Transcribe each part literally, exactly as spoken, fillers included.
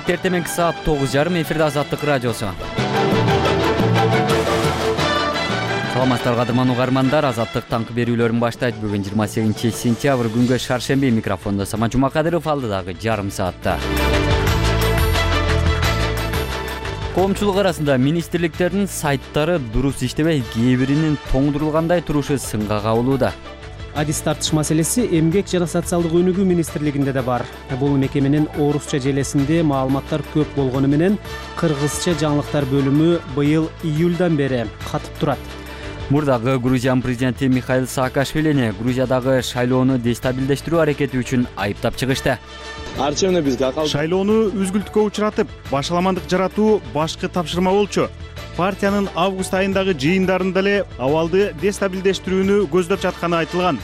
понедельник эртеменки саат тогуз жарым эфирде Азаттык радиосу. Саламатсыздар кадырман угармандар, Азаттык таңкы берүүлөрүн баштайт. Бүгүн жыйырма сегизинчи сентябрь күнгө шаршемби. Микрофондо Самат Жумакадыров, алдыдагы жарым саатта. Коомчулук арасында министрликтердин сайттары дурус иштебей, кээ биринин тоңдурулгандай турушу сынга кабылууда. Адис тартыш маселеси Эмгек жана социалдык өнүгүү министрлигинде да бар. Бул мекеменин орусча желесинде маалыматтар көп болгону менен кыргызча жаңылыктар бөлүмү быйыл июлдан бери катып турат. Мурдагы Грузиянын президенти Михаил Саакашвилини Грузиядагы шайлоону дестабилдештирүү аракети үчүн айыптап чыгышты. Шайлоону үзгүлтүккө учуратып, башаламандык жаратуу башкы тапшырма болчу. Партиянын август айындагы жыйындарында эле абалды дестабилдештирүүнү көздөп жатканы айтылган.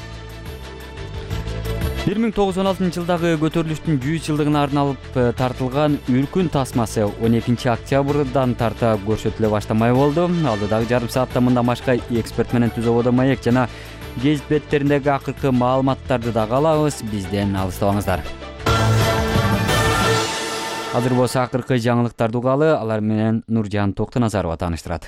бир миң тогуз жүз он алтынчы жылдагы көтөрүлүштүн жүз жылдыгына арналып тартылган Үркүн тасмасы он экинчи октябрдан тарта көрсөтүлө баштамай болду. Алдыдагы жарым саатта мындан башка эксперт менен Түз ободо маек жана гезит беттериндеги акыркы маалыматтарды дагы алабыз. Бизден алыстабаңыздар. Азыр болсо акыркы жаңылыктарды угалы, алар менен Нуржан Токтоназарова тааныштырат.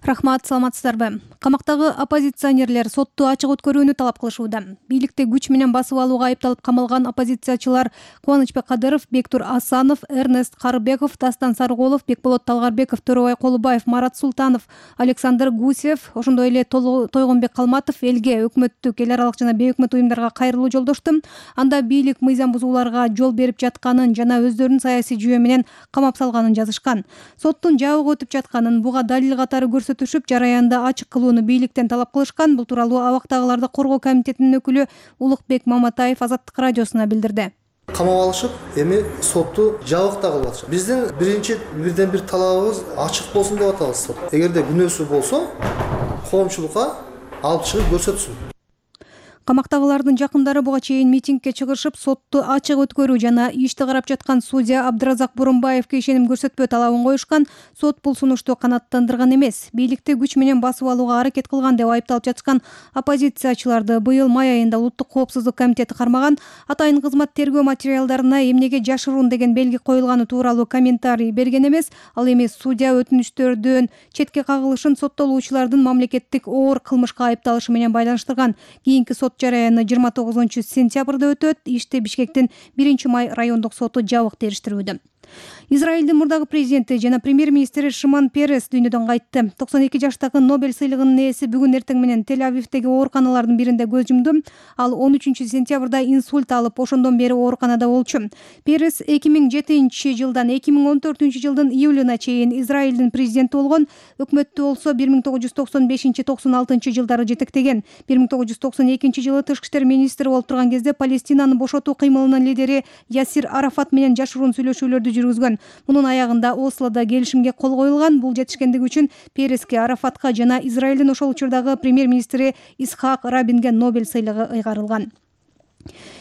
Рахмат, саламатсыздарбы? Камактагы оппозиционерлер сотту ачык өткөрүүнү талап кылышууда. Бийликти күч менен басып алууга айыпталып камалган оппозициячылар Кубанычбек Кадыров, Бектур Асанов, Эрнест Карыбеков, Дастан Сарыголов, Бекболот Талгарбеков, Төрөбай Колубаев, Марат Султанов, Александр Гусев, ошондой эле Тойгонбек Калматов элге, өкмөттүк, эл аралык жана бейөкмөт уюмдарга кайрылуу жолдошту. Анда бийлик мыйзам бузууларга жол берип жатканын жана өздөрүнүн саясий жүйө менен камап салганын жазышкан. Соттун жабык өтүп жатканын, буга далил катары көрсөтүшүп, жараянда ачык кылууну бийликтен талап кылышкан. Бул тууралуу Абактагыларды коргоо комитетинин өкүлү Улукбек Маматаев Азаттык радиосуна билдирди. Камап алышып, эми сотту жабыкта кылып атышат. Биздин биринчи бирден бир талабыбыз ачык болсун деп атабыз сот. Эгерде күнөөсү болсо, коомчулукка алып чыгып көрсөтсүн. Камактагылардын жакындары буга чейин митингге чыгышып, сотту ачык өткөрүү жана ишти карап жаткан судья Абдыразак Бурунбаевге ишеним көрсөтпөө талабын коюшкан. Сот бул сунушту канааттандырган эмес. Бийликти күч менен басып алууга аракет кылган деп айыпталып жаткан оппозициячыларды быйыл май айында Улуттук коопсуздук комитети кармаган. Атайын кызмат тергөө материалдарына эмнеге жашыруун деген белги коюлганы тууралуу комментарий берген эмес. Ал эми судья өтүнүчтөрдөн четке кагылышын соттолуучулардын мамлекеттик оор кылмышка айыпталышы менен байланыштырган. Кийинки сот жараяны жыйырма тогузунчу сентябрда өтөт. Ишти Бишкектин биринчи май райондук соту жабык териштирүүдө. Израилдин мурдагы президенти жана премьер-министри Шимон Перес дүйнөдөн кайтты. токсон эки жаштагы Нобель сыйлыгынын ээси бүгүн эртең менен Тель-Авивдеги ооруканалардын биринде көз жумду. Ал он үчүнчү сентябрда инсульт алып, ошондон бери ооруканада болчу. Перес эки миң жетинчи жылдан эки миң он төртүнчү жылдын июлуна чейин Израилдин президенти болгон. Өкмөттү болсо бир миң тогуз жүз токсон бешинчи — токсон алтынчы жылдары жетектеген. бир миң тогуз жүз токсон экинчи жылы тышкы иштер министри болуп турган кезде Палестинаны бошотуу кыймылынын лидери Ясир Арафат менен жашыруун сүйлөшүүлөрдү жүргүзгөн. Мунун аягында Ослодо келишимге кол коюлган. Бул жетишкендиги үчүн Переске, Арафатка жана Израилдин ошол учурдагы премьер-министри Исхак Рабинге Нобель сыйлыгы ыйгарылган.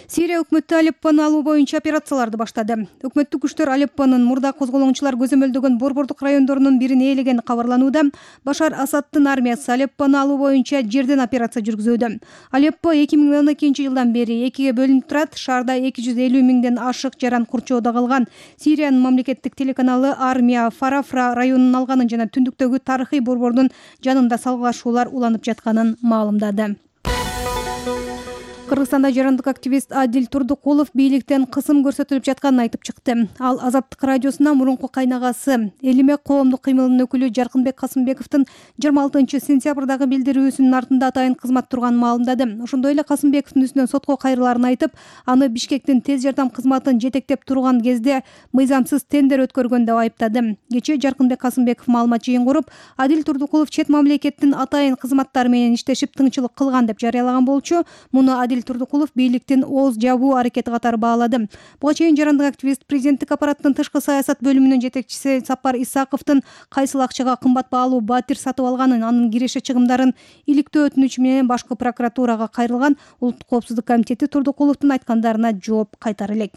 Сирия өкмөтү Алеппону алуу боюнча операцияларды баштады. Өкмөттүк күчтөр Алеппонун мурда козголоңчулар көзөмөлдөгөн борбордук райондорунун бирин ээлегени кабарланууда. Башар Асадтын армиясы Алеппону алуу боюнча жерден операция жүргүзүүдө. Алеппо эки миң он экинчи жылдан бери экиге бөлүнүп турат. Шаарда эки жүз элүү миңден ашык жаран курчоодо калган. Сириянын мамлекеттик телеканалы армия Фарафра районун алганын жана түндүктөгү тарыхый борбордун жанында салгылашуулар уланып жатканын маалымдады. Кыргызстанда жарандык активист Адил Турдукулов бийликтен кысым көрсөтүлүп жатканын айтып чыкты. Ал Азаттык радиосуна мурунку кайнагасы Элиме коомдук кыймылынын өкүлү Жаркынбек Касымбековдун жыйырма алтынчы сентябрдагы билдирүүсүнүн артында атайын кызмат турганын маалымдады. Ошондой эле Касымбековдун үстүнөн сотко кайрылаарын айтып, аны Бишкектин тез жардам кызматын жетектеп турган кезде мыйзамсыз тендер өткөргөн деп айыптады. Кечээ Жаркынбек Касымбеков маалымат жыйын куруп, Адил Турдукулов чет мамлекеттин атайын кызматтары менен иштешип тыңчылык кылган деп жарыялаган болчу. Муну Адил Турдукулов бийликтин ооз жабуу аракети катары баалады. Буга чейин жарандык активист президенттик аппараттын тышкы саясат бөлүмүнүн жетекчиси Сапар Исаковдун кайсыл акчага кымбат баалуу батир сатып алганын, анын киреше чыгымдарын иликтөө өтүнүчү менен башкы прокуратурага кайрылган. Улуттук коопсуздук комитети Турдукуловдун айткандарына жооп кайтара элек.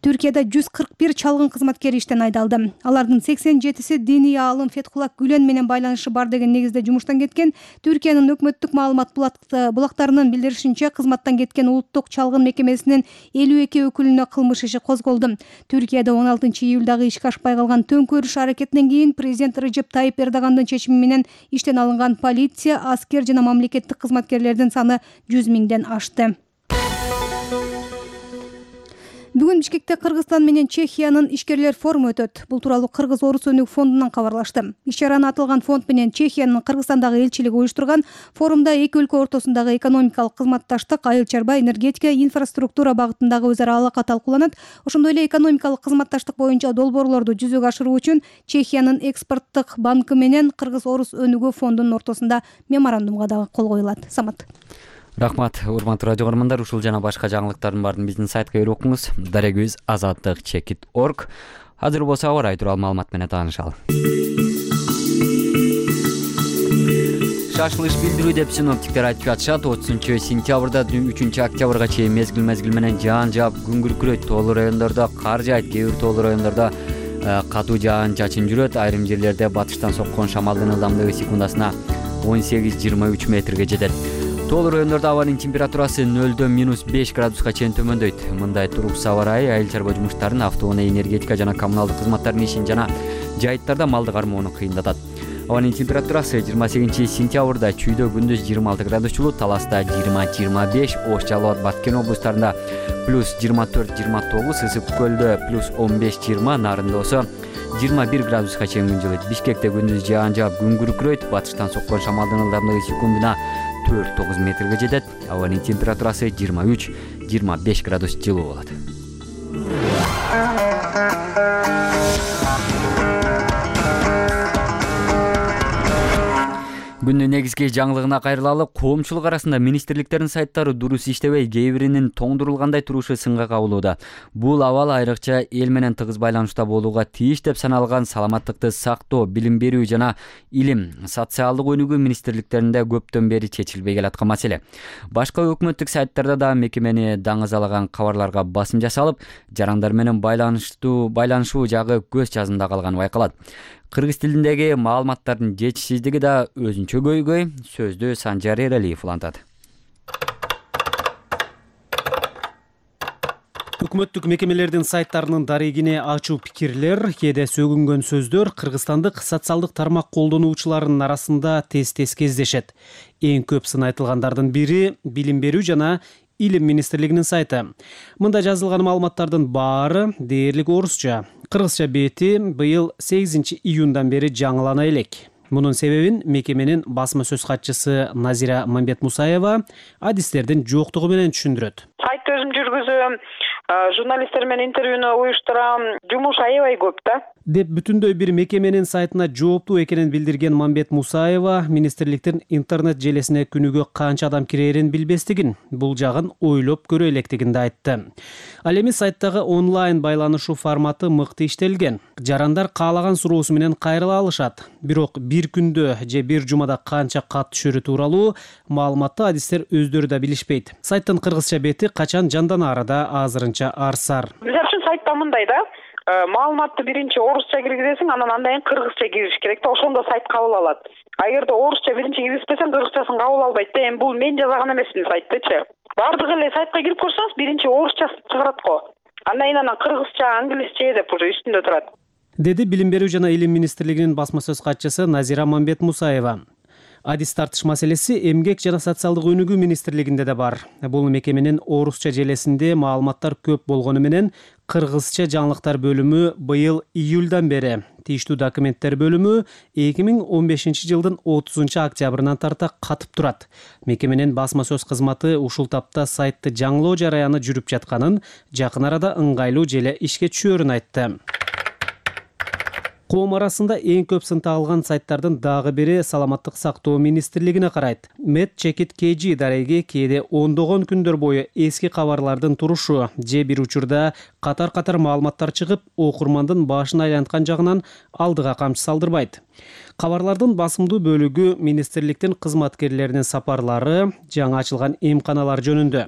Түркияда жүз кырк бир чалгын кызматкер иштен айдалды. Алардын сексен жетиси диний аалым Фетхулла Гүлен менен байланышы бар деген негизде жумуштан кеткен. Түркиянын өкмөттүк маалымат булактарынын билдиришинче, кызматтан кеткен улуттук чалгын мекемесинин элүү эки өкүлүнө кылмыш иши козголду. Түркияда он алтынчы июлдагы ишке ашпай калган төңкөрүш аракетинен кийин президент Режеп Тайип Эрдогандын чечими менен иштен алынган полиция, аскер жана мамлекеттик кызматкерлердин саны жүз миңден ашты. Бүгүн Бишкекте Кыргызстан менен Чехиянын ишкерлер форуму өтөт. Бул тууралуу Кыргыз Орус өнүгүү фондунан кабарлашты. Иш-чараны аталган фонд менен Чехиянын Кыргызстандагы элчилиги уюштурган. Форумда эки өлкө ортосундагы экономикалык кызматташтык, айыл чарба, энергетика, инфраструктура багытындагы өзара алака талкууланат. Ошондой эле экономикалык кызматташтык боюнча долбоорлорду жүзөгө ашыруу үчүн Чехиянын экспорттук банкы менен Кыргыз Орус өнүгүү фондунун ортосунда меморандумга дагы кол коюлат. Самат. Рахмат, урматтуу радио көрөрмандар. Ушул жана башка жаңылыктардын баарын биздин сайтка кирип окуңуз. дарек жүз азаттык чекит точка орг. Азыр болсо аба ырайы тууралуу маалымат менен таанышалы. Шашылыш билдирүү деп синоптиктер айтып жатышат. отузунчу сентябрда үчүнчү октябрга чейин мезгил-мезгил менен жаан жаап күн күркүрөйт. Тоолуу райондордо кар жаайт, кээ бир тоолуу райондордо катуу жаан чачын жүрөт. Айрым жерлерде батыштан соккон шамалдын ылдамдыгы секундасына он сегиз жыйырма үч метрге жетет. Тоолуу райондордо абанын температурасы нөлдөн минус беш градуска чейин төмөндөйт. Мындай туруксуз аба ырайы айыл чарба жумуштарын, автоунаа, энергетика жана коммуналдык кызматтардын ишин жана жайыттарда малды кармоону кыйындатат. Абанын температурасы жыйырма сегизинчи сентябрда чүйдө күндүз жыйырма алты градус жылуу, Таласта жыйырма жыйырма беш, Ош, Жалал абад, Баткен облустарында плюс жыйырма төрт жыйырма тогуз, Ысык көлдө плюс он беш жыйырма, Нарында болсо жыйырма бир градуска чейин күн жылыйт. Бишкекте күндүз жаан жаап күн күркүрөйт. Батыштан соккон шамалдын ылдамдыгы секундуна төрт тогуз метрге жетет. Абанын температурасы жыйырма үч жыйырма беш градус жылуу болот. Күндүн негизги жаңылыгына кайрылалы. Коомчулук арасында министрликтердин сайттары дурус иштебей, кээ биринин тоңдурулгандай турушу сынга кабылууда. Бул абал айрыкча эл менен тыгыз байланышта болууга тийиш деп саналган саламаттыкты сактоо, билим берүү жана илим, социалдык өнүгүү министрликтеринде көптөн бери чечилбей келаткан маселе. Башка өкмөттүк сайттарда да мекемени даңазалаган кабарларга басым жасалып, жарандар менен байланыштуу байланышуу жагы көз жазымда калганы байкалат. Кыргыз тилиндеги маалыматтардын жетишсиздиги да өзүнчө көйгөй. Сөздү Санжар Эралиев улантат. Өкмөттүк мекемелердин сайттарынын дарегине ачуу пикирлер, кээде сөгүнгөн сөздөр кыргызстандык социалдык тармак колдонуучуларынын арасында тез-тез кездешет. Эң көп сын айтылгандардын бири билим берүү жана илим министрлигинин сайты. Мында жазылган маалыматтардын баары дээрлик орусча. Кыргызча бети быйыл сегизинчи июндан бери жаңылана элек. Мунун себебин мекеменин басма сөз катчысы Назира Мамбетмусаева адистердин жоктугу менен түшүндүрөт. Сайт өзүм жүргүзөм, журналисттер менен интервьюну уюштурам, жумуш аябай көп да. Деп бүтүндөй бир мекеменин сайтына жооптуу экенин билдирген Мамбетмусаева министрликтин интернет желесине күнүгө канча адам кирерин билбестигин, бул жагын ойлоп көрө электигин да айтты. Ал эми сайттагы онлайн байланышуу форматы мыкты иштелген. Жарандар каалаган суроосу менен кайрыла алышат. Бирок бир күндө же бир жумада канча кат түшөрү тууралуу маалыматты адистер өздөрү да билишпейт. Сайттын кыргызча бети качан жанданаары да азырынча арсар. Бизер үчүн сайтта мындай да, маалыматты биринчи орусча киргизесиң, анан андан кийин кыргызча кириш керек да, ошондо сайт кабыл алат. А эгерде орусча биринчи киргизбесең, кыргызчасын кабыл албайт да. Эми бул мен жазган эмесмин сайттычы. Бардык эле сайтка кирип көрсөңүз, биринчи орусча чыгарат го. Андан кийин анан кыргызча, англисче деп уже үстүндө турат. Деди Билим берүү жана илим министрлигинин басма сөз катчысы Назира Мамбетмусаева. Адис тартыш маселеси эмгек жана социалдык өнүгүү министрлигинде да бар. Бул мекеменин орусча желесинде маалыматтар көп болгону менен кыргызча жаңылыктар бөлүмү быйыл июлдан бери, тийиштүү документтер бөлүмү эки миң он бешинчи жылдын отузунчу октябрынан тарта катып турат. Мекеменин басма сөз кызматы ушул тапта сайтты жаңылоо жараяны жүрүп жатканын, жакын арада ыңгайлуу желе ишке түшөөрүн айтты. Коом арасында эң көп сын тагылган сайттардын дагы бири саламаттык сактоо министрлигине карайт. Медчекит.kg дареги кээде ондогон күндөр бою эски кабарлардын турушу же бир учурда катар-катар маалыматтар чыгып, окурмандын башын айланткан жагынан алдыга камчы салдырбайт. Кабарлардын басымдуу бөлүгү министрликтин кызматкерлеринин сапарлары, жаңы ачылган эмканалар жөнүндө.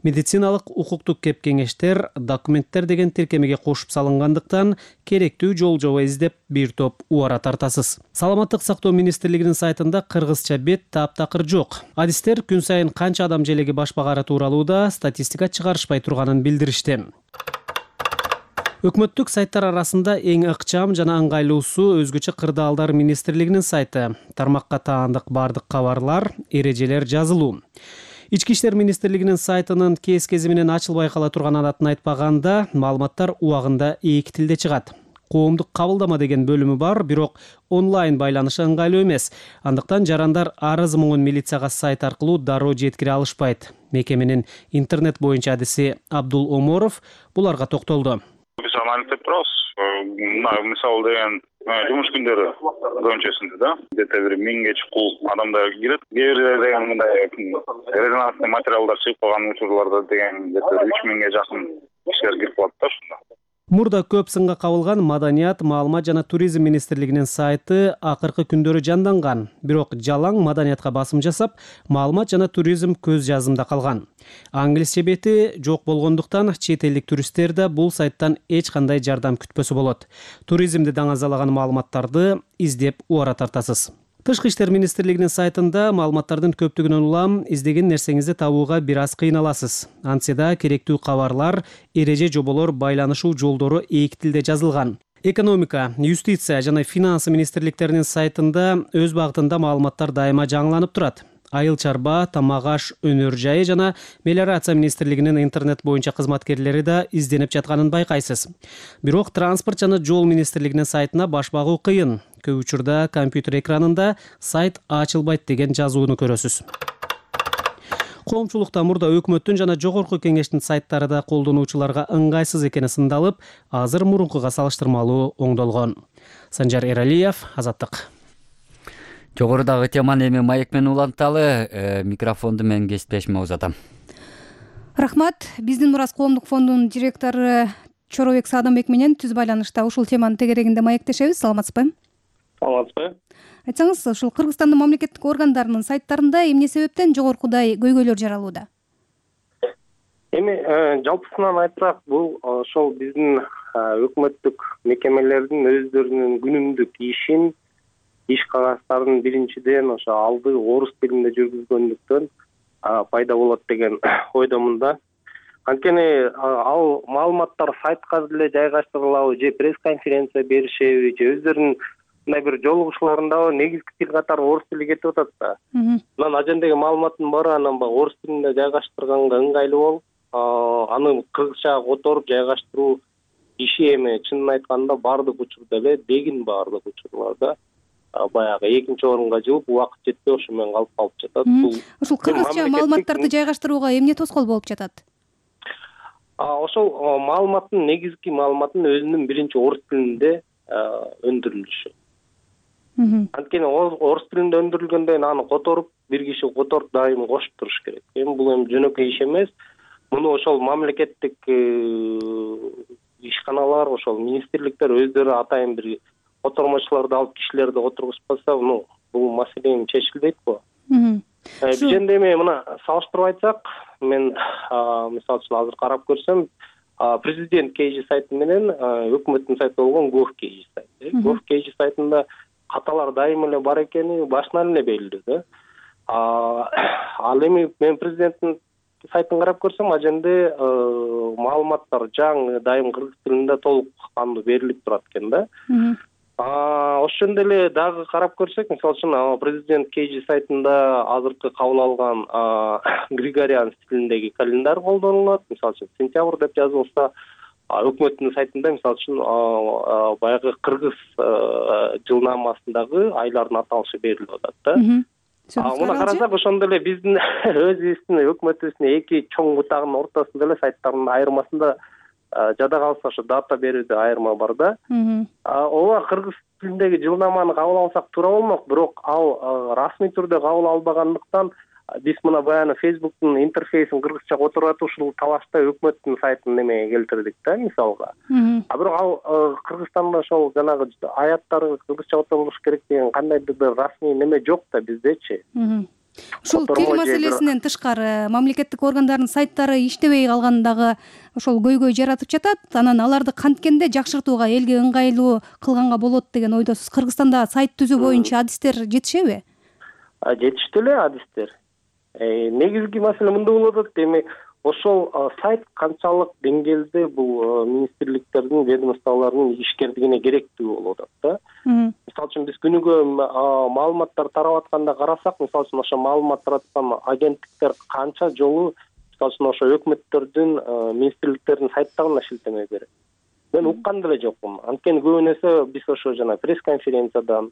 Медициналык укуктук кеп-кеңештер, документтер деген тиркемеге кошуп салынгандыктан керектүү жол жоба издеп бир топ убара тартасыз. Саламаттык сактоо министрлигинин сайтында кыргызча бет таптакыр жок. Адистер күн сайын канча адам желеги баш багары тууралуу да статистика чыгарышпай турганын билдиришти. Өкмөттүк сайттар арасында эң ыкчам жана ыңгайлуусу өзгөчө кырдаалдар министрлигинин сайты. Тармакка таандык бардык кабарлар, эрежелер жазылуу. Ички иштер министрлигинин сайтынын кез-кези менен ачылбай кала турган адатын айтпаганда, маалыматтар убагында эки тилде чыгат. Коомдук кабылдама деген бөлүмү бар, бирок онлайн байланышы ыңгайлуу эмес. Андыктан жарандар арыз муңун милицияга сайт аркылуу дароо жеткире алышпайт. Мекеменин интернет боюнча адиси Абдул Оморов буларга токтолду. Биз анализдеп турабыз. Мисалы деген жумуш күндөрү көбүнчөсүндө да где-то бир миңге чукул адамдар кирет. Кээ бирде деген мындай резонансный материалдар чыгып калган учурларда деген где-то үч миңге жакын кишилер кирип калат да ушунда. Мурда көп сынга кабылган Маданият, маалымат жана туризм министрлигинин сайты акыркы күндөрү жанданган. Бирок жалаң маданиятка басым жасап, маалымат жана туризм көз жазымда калган. Англисче бети жок болгондуктан чет элдик туристтер да бул сайттан эч кандай жардам күтпөсө болот. Туризмди даңазалаган маалыматтарды издеп убара тартасыз. Тышкы иштер министрлигинин сайтында маалыматтардын көптүгүнөн улам издеген нерсеңизди табууга бир аз кыйналасыз. Антсе да керектүү кабарлар, эреже жоболор байланышуу жолдору эки тилде жазылган. Экономика, юстиция жана финансы министрликтеринин сайтында өз багытында маалыматтар дайыма жаңыланып турат. Айыл чарба, тамак аш, өнөр жайы жана мелиорация министрлигинин интернет боюнча кызматкерлери да изденип жатканын байкайсыз. Бирок транспорт жана жол министрлигинин сайтына баш багуу кыйын. Көп учурда компьютер экранында сайт ачылбайт деген жазууну көрөсүз. Коомчулукта мурда өкмөттүн жана жогорку кеңештин сайттары да колдонуучуларга ыңгайсыз экени сындалып, азыр мурункуга салыштырмалуу оңдолгон. Санжар Эралиев, Азаттык. Жогорудагы теманы эми маек менен уланталы, э, микрофонду мен кесиптешиме узатам. Рахмат. Биздин Мурас коомдук фондунун директору Чоробек Саадамбек менен түз байланышта ушул теманын тегерегинде маектешебиз. Саламатсызбы? Саламатсызбы? Айтсаңыз, ушул Кыргызстандын мамлекеттик органдарынын сайттарында эмне себептен жогоркудай көйгөйлөр жаралууда? Эми жалпысынан айтсак, бул ошол биздин өкмөттүк мекемелердин өздөрүнүн күнүмдүк ишин, иш кагаздарын биринчиден ошо алды орус тилинде жүргүзгөндүктөн пайда болот деген ойдомун да. Анткени ал маалыматтар сайтка деле жайгаштырылабы же пресс-конференция беришеби же өздөрүнүн мындай бир жолугушууларында негизги тил катары орус тили кетип атат да. Анан ажендеги маалыматтын баары анан баягы орус тилинде жайгаштырганга ыңгайлуу болуп, аны кыргызчага которуп жайгаштыруу иши эми чынын айтканда баардык учурда эле дегин баардык учурларда баягы экинчи орунга жылып, убакыт жетпей ошо менен калып калып жатат. Ушул кыргызча маалыматтарды жайгаштырууга эмне тоскоол болуп жатат? Ошол маалыматтын негизги маалыматтын өзүнүн биринчи орус тилинде өндүрүлүшү. Анткени орус тилинде өндүрүлгөндөн кийин аны которуп, бир киши которуп дайым кошуп туруш керек. Эми бул эми жөнөкөй иш эмес. Муну ошол мамлекеттик ишканалар, ошол министрликтер өздөрү атайын бир котормочуларды алып кишилерди отургузбаса, ну бул маселе чечилбейт го. Бизенде эми мына салыштырып айтсак, мен мисалы үчүн азыр карап көрсөм, президент кейжи сайты менен өкмөттүн сайты болгон gov.kg сайты. gov.kg сайтында каталар дайым эле бар экени башынан эле белгилүү да. Ал эми мен президенттин сайтын карап көрсөм, аженде маалыматтар жаңы дайым кыргыз тилинде толук кандуу берилип турат экен да. Ошондой эле дагы карап көрсөк, мисалы үчүн президент кейжи сайтында азыркы кабыл алган Григориан стилиндеги календарь колдонулат. Мисалы үчүн сентябрь деп жазылса, өкмөттүн сайтында мисалы үчүн баягы кыргыз жылнамасындагы айлардын аталышы берилип атат да. Муну карасак, ошондой эле биздин өзүбүздүн өкмөтүбүздүн эки чоң бутагынын ортосунда эле сайттардын айырмасында жада калса ошо дата берүүдө айырма бар да. Ооба, кыргыз тилиндеги жылнаманы кабыл алсак туура болмок, бирок ал расмий түрдө кабыл албагандыктан биз мына баягы Facebook'тун интерфейсин кыргызчага отуруп атып ушул талашта өкмөттүн сайтын немеге келтирдик да, мисалга. А бирок ал Кыргызстанда ошол жанагы аяттар кыргызча отурулуш керек деген кандайдыр бир расмий неме жок да биздечи. Ушул тил маселесинен тышкары мамлекеттик органдардын сайттары иштебей калганы дагы ошол көйгөй жаратып жатат. Анан аларды канткенде жакшыртууга, элге ыңгайлуу кылганга болот деген ойдосуз. Кыргызстанда сайт түзүү боюнча адистер жетишеби? Жетиштүү эле адистер. Негизги маселе мындай болуп атат. Демек, ошол сайт канчалык деңгээлде бул министрликтердин, ведомстволордун ишкердигине керектүү болуп атат да. Мисалы үчүн биз күнүгө маалыматтар тарап атканда карасак, мисалы үчүн ошо маалымат тараткан агенттиктер канча жолу мисалы үчүн ошо өкмөттөрдүн, министрликтердин сайттарына шилтеме берет. Мен уккан деле жокмун. Анткени көбүнесе биз ошо жана пресс-конференциядан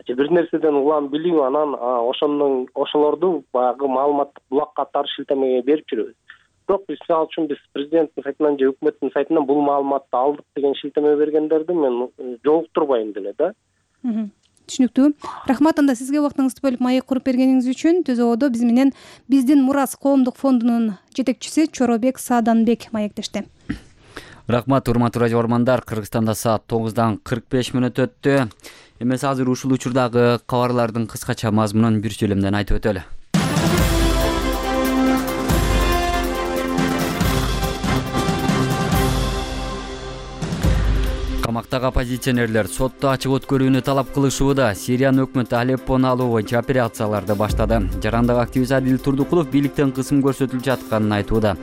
же бир нерседен улам билип, анан ошондон ошолорду баягы маалыматтык булак катары шилтемеге берип жүрөбүз. Бирок биз мисалы үчүн биз президенттин сайтынан же өкмөттүн сайтынан бул маалыматты алдык деген шилтеме бергендерди мен жолуктурбайм деле да. Түшүнүктүү. Рахмат, анда сизге убактыңызды бөлүп маек куруп бергениңиз үчүн. Түзөөдө биз менен Биздин мурас коомдук фондунун жетекчиси Чоробек Сааданбек маектешти. Рахмат, урматтуу радио угармандар. Кыргызстанда саат тогуздан кырк беш мүнөт өттү. Эмес азыр ушул учурдагы кабарлардын кыскача мазмунун бир чөлөмдөн айтып өтөлү. Камактагы оппозиционерлер сотто ачык өткөрүүнү талап кылышууда. Сириянын өкмөтү Алеппону алуу боюнча операцияларды баштады. Жарандык активист Адил Турдукулов бийликтен кысым көрсөтүлүп жатканын айтууда.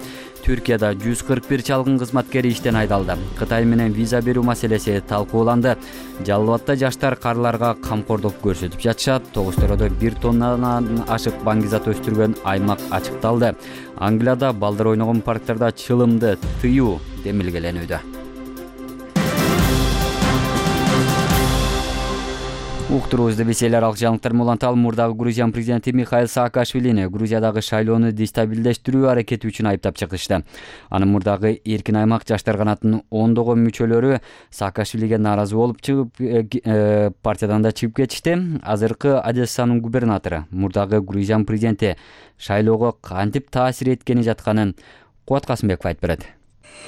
Түркияда жүз кырк бир чалгын кызматкери иштен айдалды. Кытай менен виза берүү маселеси талкууланды. Жалал Абадта жаштар карларга камкордук көрсөтүп жатышат. Тогуз төрөдө бир тоннадан ашык баңгизат өстүргөн аймак ачыкталды. Англияда балдар ойногон парктарда чылымды тыюу демилгеленүүдө. Уктуруубузду биз эл аралык жаңылыктар менен уланталы. Мурдагы Грузия президенти Михаил Саакашвилини Грузиядагы шайлоону дестабилдештирүү аракети үчүн айыптап чыгышты. Анын мурдагы эркин аймак жаштар канатынын ондогон мүчөлөрү Саакашвилиге нааразы болуп чыгып партиядан да чыгып кетишти. Азыркы Одессанын губернатору мурдагы Грузия президенти шайлоого кантип таасир эткени жатканын Кубат Касымбеков айтып берет.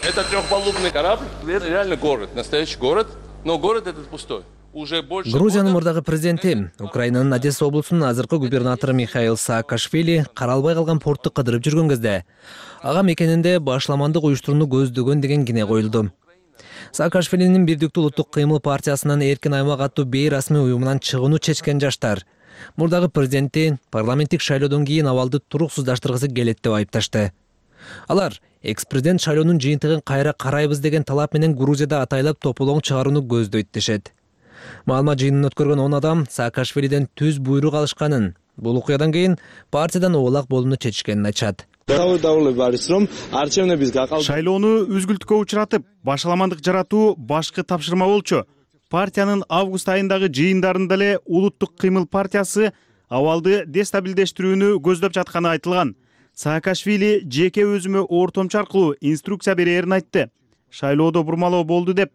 Это трехпалубный корабль, реально город, настоящий город, но город этот пустой. Грузиянын мурдагы президенти, Украинанын Одесса облусунун азыркы губернатору Михаил Саакашвили каралбай калган портты кыдырып жүргөн кезде ага мекенинде башламандык уюштурууну көздөгөн деген кине коюлду. Саакашвилинин Бирдиктүү улуттук кыймыл партиясынын эркин аймак аттуу бейрасмий уюмунан чыгууну чечкен жаштар мурдагы президентти парламенттик шайлоодон кийин абалды туруксуздаштыргысы келет деп айыпташты. Алар экс-президент шайлоонун жыйынтыгын кайра карайбыз деген талап менен Грузияда атайлап тополоң чыгарууну көздөйт дешет. Маалымат жыйынын өткөргөн он адам Саакашвилиден түз буйрук алышканын, бул окуядан кийин партиядан оолак болууну чечишкенин айтышат. Шайлоону үзгүлтүккө учуратып, башаламандык жаратуу башкы тапшырма болчу. Партиянын август айындагы жыйындарында эле Улуттук кыймыл партиясы абалды дестабилдештирүүнү көздөп жатканы айтылган. Саакашвили жеке өзүмө ортомчу аркылуу инструкция берерин айтты. Шайлоодо бурмалоо болду деп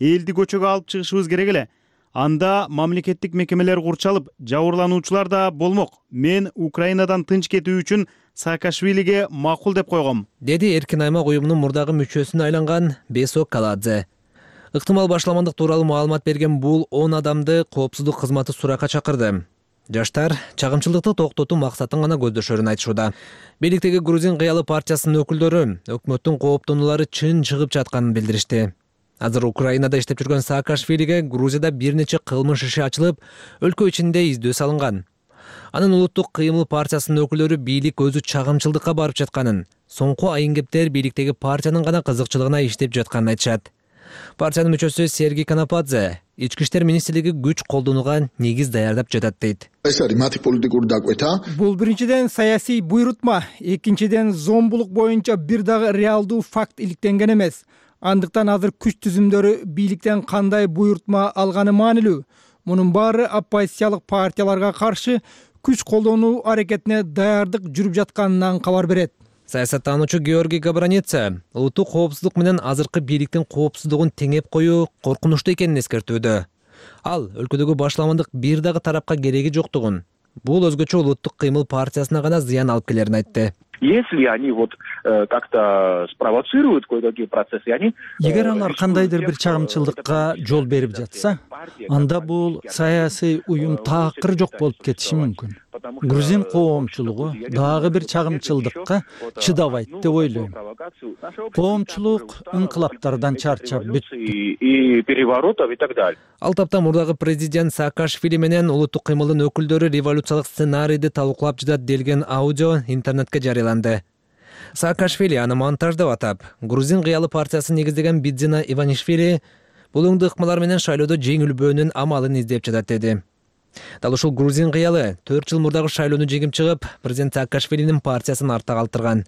элди көчөгө алып чыгышыбыз керек эле. Анда мамлекеттик мекемелер курчалып, жабырлануучулар да болмок. Мен Украинадан тынч кетүү үчүн Саакашвилиге макул деп койгом, деди эркин аймак уюмунун мурдагы мүчөсүнө айланган Бесо Каладзе. Ыктымал башламандык тууралуу маалымат берген бул он адамды коопсуздук кызматы суракка чакырды. Жаштар чагымчылыкты токтотуу максатын гана көздөшөрүн айтышууда. Бийликтеги Грузин кыялы партиясынын өкүлдөрү өкмөттүн кооптонуулары чын чыгып жатканын билдиришти. Азыр Украинада иштеп жүргөн Саакашвилиге Грузияда бир нече кылмыш иши ачылып, өлкө ичинде издөө салынган. Анын Улуттук кыймыл партиясынын өкүлдөрү бийлик өзү чагымчылдыкка барып жатканын, соңку айын-кептер бийликтеги партиянын гана кызыкчылыгына иштеп жатканын айтышат. Партиянын мүчөсү Сергей Канападзе ички иштер министрлиги күч колдонууга негиз даярдап жатат дейт. Бул биринчиден саясий буйрутма, экинчиден зомбулук боюнча бир дагы реалдуу факт иликтенген эмес. Андыктан азыр күч түзүмдөрү бийликтен кандай буйрутма алганы маанилүү. Мунун баары оппозициялык партияларга каршы күч колдонуу аракетине даярдык жүрүп жатканынан кабар берет. Саясаттануучу Георгий Габраница улуттук коопсуздук менен азыркы бийликтин коопсуздугун теңеп коюу коркунучтуу экенин эскертүүдө. Ал өлкөдөгү башламандык бир дагы тарапка кереги жоктугун, бул өзгөчө улуттук кыймыл партиясына гана зыян алып келерин айтты. Если они вот э, как-то спровоцируют кое-какие процессы, они эгер алар кандайдыр бир чагымчылдыкка жол берип жатса, анда бул саясий уюм такыр жок болуп кетиши мүмкүн. Грузин коомчулугу дагы бир чагымчылдыкка чыдабайт деп ойлойм. Коомчулук инкылаптардан чарчап бүттү. И переворотов и так далее. Ал тапта мурдагы президент Саакашвили менен улуттук кыймылдын өкүлдөрү революциялык сценарийди талкуулап жатат делген аудио интернетке жарыяланды. Саакашвили аны монтаждап атап, Грузин кыялы партиясын негиздеген Бидзина Иванишвили бул оңду ыкмалар менен шайлоодо жеңилбөөнүн амалын издеп жатат деди. Дал ушул Грузин кыялы төрт жыл мурдагы шайлоону жеңип чыгып, президент Саакашвилинин партиясын артта калтырган.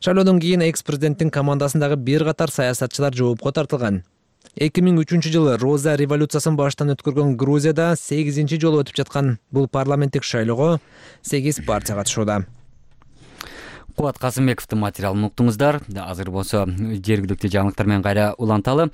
Шайлоодон кийин экс-президенттин командасындагы бир катар саясатчылар жоопко тартылган. эки миң үчүнчү жылы Роза революциясын баштан өткөргөн Грузияда сегизинчи жолу өтүп жаткан бул парламенттик шайлоого сегиз партия катышууда. Кубат Касымбековдун материалын уктуңуздар. Азыр болсо жергиликтүү жаңылыктар менен кайра уланталы.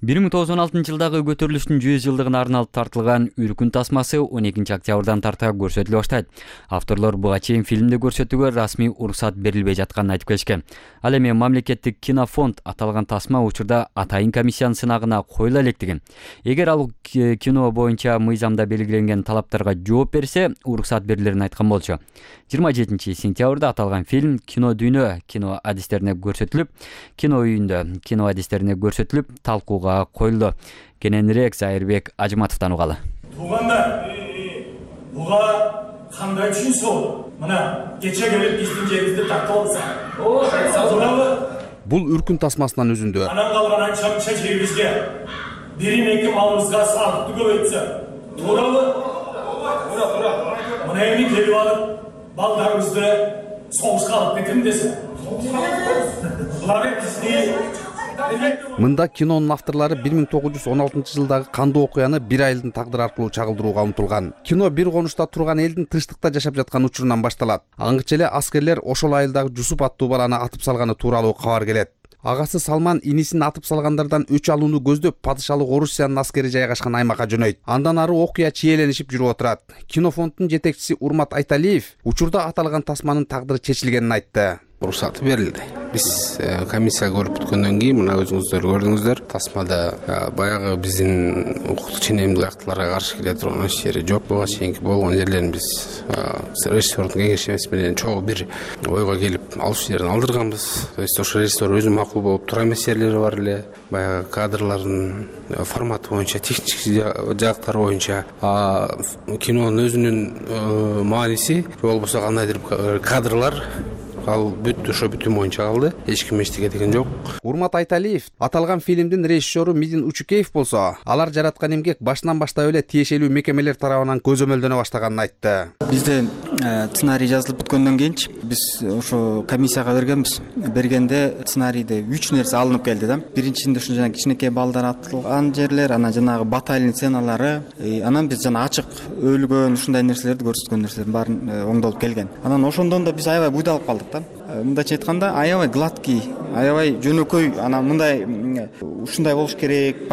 бир миң тогуз жүз он алтынчы жылдагы көтөрүлүштүн жүз жылдыгына арналып тартылган Үркүн тасмасы он экинчи октябрдан тарта көрсөтүлө баштайт. Авторлор буга чейин фильмди көрсөтүүгө расмий уруксат берилбей жатканын айтып келишкен. Ал эми мамлекеттик кинофонд аталган тасма учурда атайын комиссиянын сынагына коюла электигин. Эгер ал кино боюнча мыйзамда белгиленген талаптарга жооп берсе, уруксат берилерин айткан болчу. жыйырма жетинчи сентябрда аталган фильм кино дүйнө кино адистерине көрсөтүлүп, кино үйүндө кино адистерине көрсөтүлүп, талкууга коюлду. Кененирээк Зайырбек Ажыматовдон угалы. Туугандар, буга кандай түшүнсө, мына кече келип биздин жерибизди тартып алса. Бул Үркүн тасмасынан өзүндө. Анан калган анча-мынча жерибизге бир эки малыбызга салыкты көбөйтсө, туурабы? Туура, туура. Мына эми келип алып, балдарыбызды согушка алып кетем десе. Булар бизди Мында кинонун авторлору бир миң тогуз жүз он алтынчы жылдагы кандуу окуяны бир айылдын тагдыры аркылуу чагылдырууга умтулган. Кино бир конушта турган элдин тынчтыкта жашап жаткан учурунан башталат. Аңгыча эле аскерлер ошол айылдагы Жусуп аттуу баланы атып салганы тууралуу кабар келет. Агасы Салман инисин атып салгандардан өч алууну көздөп падышалык Орусиянын аскери жайгашкан аймакка жөнөйт. Андан ары окуя чиеленишип жүрүп отурат. Кинофонддун жетекчиси Урмат Айталиев учурда аталган тасманын тагдыры чечилгенин айтты. Уруксаты берилди. Биз комиссия көрүп бүткөндөн кийин мына өзүңүздөр көрдүңүздөр, тасмада баягы биздин укуктук ченемдик актыларга каршы келе турган эч жери жок. Буга чейинки болгон жерлерин биз режиссердун кеңешмеси менен чогуу бир ойго келип алыш жерин алдырганбыз. То есть ошо режиссер өзү макул болуп тура эмес жерлери бар эле. Баягы кадрлардын форматы боюнча, технический жактары боюнча, кинонун өзүнүн мааниси болбосо кандайдыр кадрлар ал бүт ошо бүтүн боюнча калды. Эч ким эчтеке деген жок. Урмат Айталиев аталган фильмдин режиссеру Мидин Учукеев болсо, алар жараткан эмгек башынан баштап эле тиешелүү мекемелер тарабынан көзөмөлдөнө баштаганын айтты. Бизде сценарий жазылып бүткөндөн кийинчи биз ошо комиссияга бергенбиз. Бергенде сценарийде үч нерсе алынып келди да. Биринчисинде ушул жана кичинекей балдар атылган жерлер, анан жанагы батальон сценалары, анан биз жана ачык өлгөн ушундай нерселерди көрсөткөн нерселердин баарын оңдолуп келген. Анан ошондон да биз аябай буйдалып калдык. Мындайча айтканда аябай гладкий, аябай жөнөкөй, анан мындай ушундай болуш керек,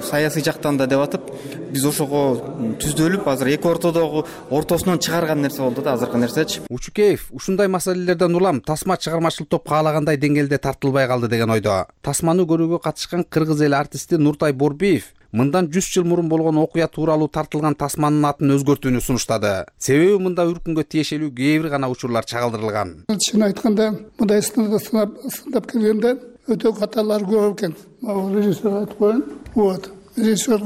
саясий жактан да деп атып, биз ошого түздөлүп, азыр эки ортодогу ортосунан чыгарган нерсе болду да азыркы нерсечи. Учукеев ушундай маселелерден улам тасма чыгармачыл топ каалагандай деңгээлде тартылбай калды деген ойдо. Тасманы көрүүгө катышкан кыргыз эл артисти Нуртай Борбиев мындан жүз жыл мурун болгон окуя тууралуу тартылган тасманын атын өзгөртүүнү сунуштады. Себеби мында Үркүнгө тиешелүү кээ бир гана учурлар чагылдырылган. Чын айтканда, мындай сындап келгенде өтө каталар көп экен. Режиссер айтып коеюн. Вот. Режиссер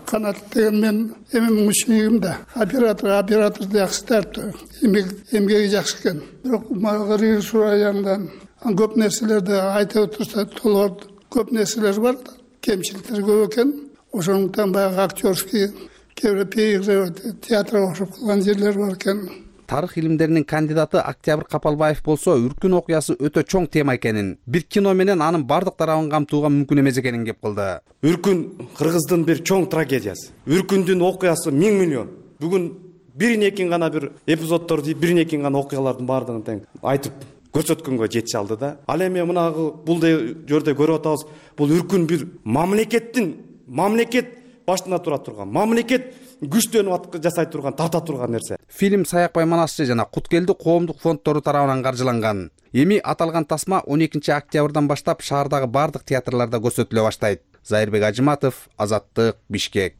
канат деген мен эми мучнигим да. Оператор, оператор жакшы тартты. Эмгеги жакшы экен. Бирок мага режиссер аягынан көп нерселерди айтып отурса, толгор көп нерселер бар. Кемчиликтер көп экен. Ошондуктан баягы актерский кээ бир театрга окшоп калган жерлер бар экен. Тарых илимдеринин кандидаты Октябрь Капалбаев болсо, Үркүн окуясы өтө чоң тема экенин, бир кино менен анын бардык тарабын камтууга мүмкүн эмес экенин кеп кылды. Үркүн Кыргыздын бир чоң трагедиясы. Үркүндүн окуясы миң миллион. Бүгүн бир экин гана бир эпизоддор дейт, бир экин гана окуялардын бардыгын тең айтып көрсөткөнгө жетише алды да. Ал эми мынагы бул жерде көрүп атабыз, бул Үркүн бир мамлекеттин, мамлекет башында тура турган, мамлекет күчтөнүп жасай турган, тарта турган нерсе. Фильм Саякбай Манасчы жана Куткелди коомдук фонддору тарабынан каржыланган. Эми аталган тасма он экинчи октябрдан баштап шаардагы бардык театрларда көрсөтүлө баштайт. Зайырбек Ажыматов, Азаттык, Бишкек.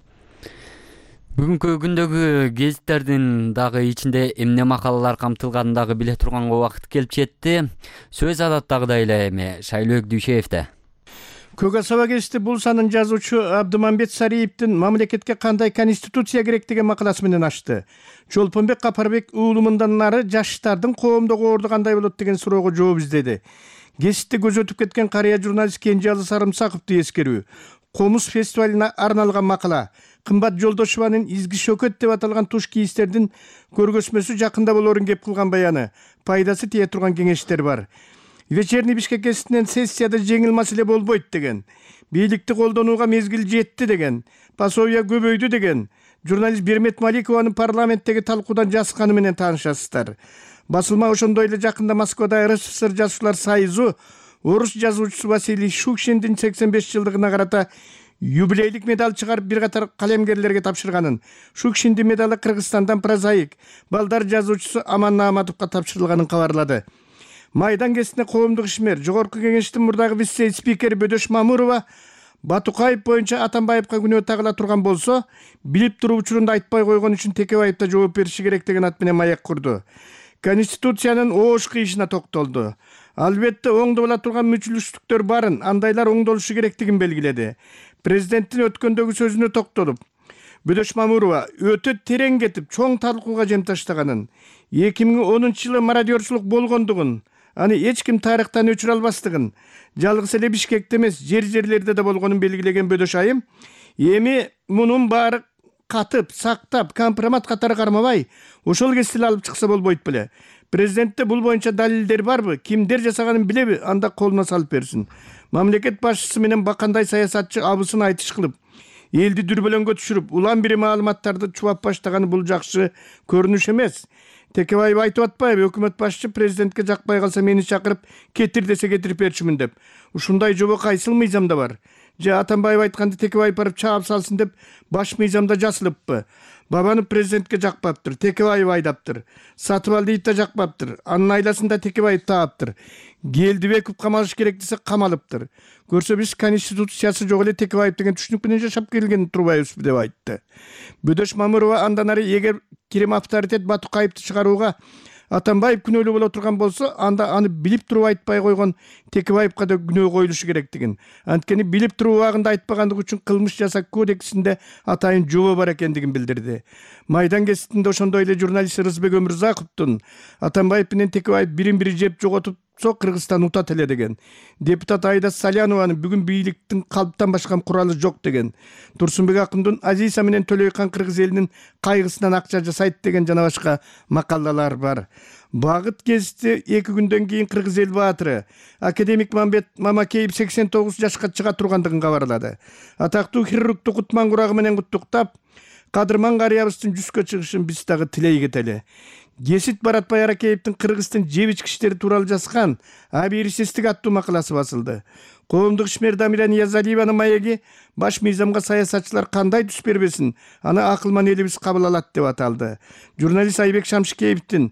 Бүгүнкү күндөгү гезиттердин дагы ичинде эмне макалалар камтылганын дагы биле турганга убакыт келип жетти. Сөз адаттагыдай эле эми Шайлоок Дүйшеевде. Көк асаба гезити бул санын жазуучу Абдымамбет Сариевдин мамлекетке кандай конституция керек деген макаласы менен ачты. Чолпонбек Капарбек уулумундан нары жаштардын коомдогу орду кандай болот деген суроого жооп издеди. Гезитти көзөтүп кеткен карыя журналист Кенжеалы Сарымсаковду эскерүү, Комуз фестивалына арналган макала, Кымбат Жолдошеванын изги шөкөт деп аталган туш кийистердин көргөзмөсү жакында болорун кеп кылган баяны, пайдасы тие турган кеңештер бар. Вечерний Бишкек гезитинен сессияда жеңил маселе болбойт деген, бийликти колдонууга мезгил жетти деген, пособия көбөйдү деген, журналист Бермет Маликованын парламенттеги талкуудан жазганы менен таанышасыздар. Басылма ошондой эле жакында Москвада эр эс эс эр жазуучулар союзу орус жазуучусу Василий Шукшиндин сексен беш жылдыгына карата юбилейлик медаль чыгарып бир катар калемгерлерге тапшырганын, Шукшиндин медалы Кыргызстандан прозаик, балдар жазуучусу Аман Нааматовго тапшырылганын кабарлады. Майдан гезитине коомдук ишмер, жогорку кеңештин мурдагы вице-спикери Бөдөш Мамурова Батукаев боюнча Атамбаевка күнөө тагыла турган болсо, билип туруп учурунда айтпай койгон үчүн Текебаевда жооп бериши керек деген ат менен маек курду. Конституциянын оош кыйышына токтолду. Албетте оңдо боло турган мүчүлүштүктөр барын, андайлар оңдолушу керектигин белгиледи. Президенттин өткөндөгү сөзүнө токтолуп, Бөдөш Мамурова өтө терең кетип, чоң талкууга жем таштаганын, эки миң онунчу жылы мародерчулук болгондугун, аны эч ким тарыхтан өчүрө албастыгын, жалгыз эле Бишкекте эмес, жер-жерлерде да болгонун белгилеген Бөдөш айым, эми мунун баары катып, сактап, компромат катары кармабай, ошол кесил алып чыкса болбойт беле. Президентте бул боюнча далилдер барбы? Кимдер жасаганын билеби? Анда колуна салып берсин. Мамлекет башчысы менен бакандай саясатчы абысын айтыш кылып, элди дүрбөлөңгө түшүрүп, улам бири маалыматтарды чубап баштаганы бул жакшы көрүнүш эмес. Текебаев айтып атпайбы, өкмөт башчы президентке жакпай калса мени чакырып, кетир десе кетирип берчүмүн деп. Ушундай жобо кайсыл мыйзамда бар? Же Атамбаев айтканды Текебаев барып чаап салсын деп баш мыйзамда жазылыппы? Бабанов президентке жакпаптыр, Текебаев айдаптыр. Сатыбалдиев да жакпаптыр, анын айласында Текебаев тааптыр. Келдибеков камалыш керек десе камалыптыр. Көрсө биз конституциясы жок эле Текебаев деген түшүнүк менен жашап келген турбайбызбы деп айтты. Бөдөш Мамурова андан ары эгер Кирим авторитет Батукаевди чыгарууга Атамбаев күнөөлүү боло турган болсо, анда аны билип туруп айтпай койгон Текебаевка да күнөө коюлушу керектигин, анткени билип туруп убагында айтпагандыгы үчүн кылмыш жасак кодексинде атайын жобо бар экендигин билдирди. Майдан гезитинде ошондой эле журналист Рызбек Өмүрзаковдун Атамбаев менен Текебаев бирин-бири жеп жоготуп Кыргызстан утат эле деген. Депутат Айда Салянованын бүгүн бийликтин калптан башка куралы жок деген. Турсунбек Акындын Азиса менен Төлөйкан кыргыз элинин кайгысынан акча жасайт деген жана башка макалалар бар. Багыт гезити эки күндөн кийин кыргыз эл баатыры академик Мамбет Мамакеев сексен тогуз жашка чыга тургандыгын кабарлады. Атактуу хирургту Кутман курагы менен куттуктап, Кадырман карыябыздын жүзгө чыгышын биз дагы тилей кетели. Гесит Баратбай Аракеевдин кыргыздын жеп ичкичтери тууралуу жазган Абийирсиздик аттуу макаласы басылды. Коомдук ишмер Дамира Ниязалиеванын маеги баш мыйзамга саясатчылар кандай түс бербесин, аны акылман элибиз кабыл алат деп аталды. Журналист Айбек Шамшикеевдин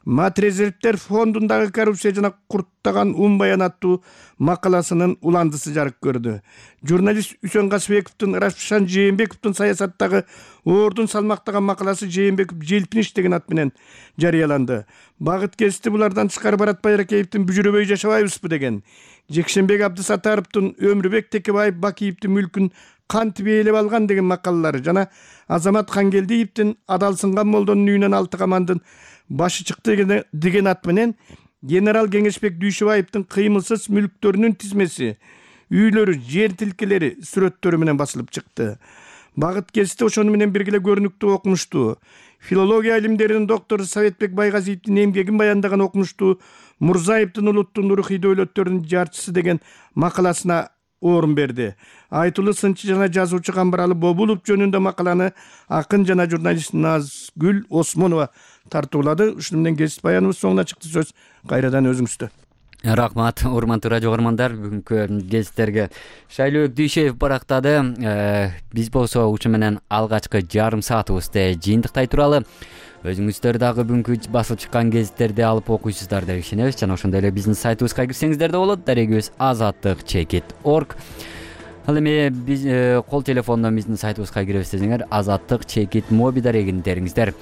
Матрезервтер фондундагы коррупция жана курттаган ун баян аттуу макаласынын уландысы жарык көрдү. Журналист Үсөн Касыбековдун Рашпшан Жээнбековдун саясаттагы ордун салмактаган макаласы Жээнбеков желпиниш деген ат менен жарыяланды. Багыт гезити булардан тышкары Баратбай Аракеевдин бүжүрөбөй жашабайбызбы деген, Жекшенбек Абдысаттаровдун Өмүрбек Текебаев Бакиевдин мүлкүн кантип ээлеп алган деген макалалары жана Азамат Хангелдиевдин Адалсынган молдонун үйүнөн алты камандын башы чыкты деген ат менен генерал Кеңешбек Дүйшөбаевдин кыймылсыз мүлктөрүнүн тизмеси, үйлөрү, жер тилкелери сүрөттөрү менен басылып чыкты. Багыт гезити ошону менен бирге көрүнүктүү окумуштуу филология илимдеринин доктору Советбек Байгазиевдин эмгегин баяндаган окумуштуу Мурзаевдин улуттун рухий дөөлөттөрүнүн жарчысы деген макаласына орун берди. Айтылуу сынчы жана жазуучу Камбаралы Бобулов жөнүндө макаланы акын жана журналист Назгүл Осмонова тартуулады. Ушуну менен гезит баяныбыз соңуна чыкты. Сөз кайрадан өзүңүздө. Рахмат, урматтуу радио көрөрмандар. Бүгүнкү гезиттерге Шайлообек Дүйшеев барактады. Биз болсо ушу менен алгачкы жарым саатыбызды жыйынтыктай туралы. Өзүңүздөр дагы бүгүнкү басылып чыккан гезиттерди алып окуйсуздар деп ишенебиз. Жана ошондой эле биздин сайтыбызга кирсеңиздер да болот. Дарегибиз азаттык чекит орг. Ал эми биз кол телефондон биздин сайтыбызга кирип десеңер азаттык чекит моби дарегин териңиздер.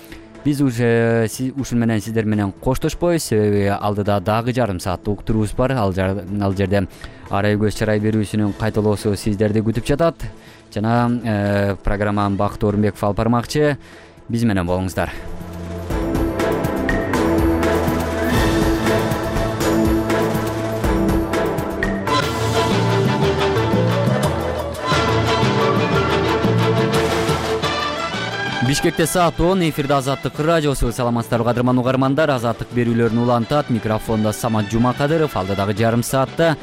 Биз уже ушун менен сиздер менен коштошпойбуз, себеби алдыда дагы жарым сааттык уктурубуз бар. Ал жерде арай көз чарай берүүсүнүн кайталоосу сиздерди күтүп жатат. Жана программанын Бактуу Орунбеков алып бармакчы. Биз менен болуңуздар. Бишкекте саат он, эфирде Азаттык радиосу. Саламатсыздарбы кадырман угармандар. Азаттык берүүлөрүн улантат. Микрофондо Самат Жумакадыров. Алдыдагы жарым саатта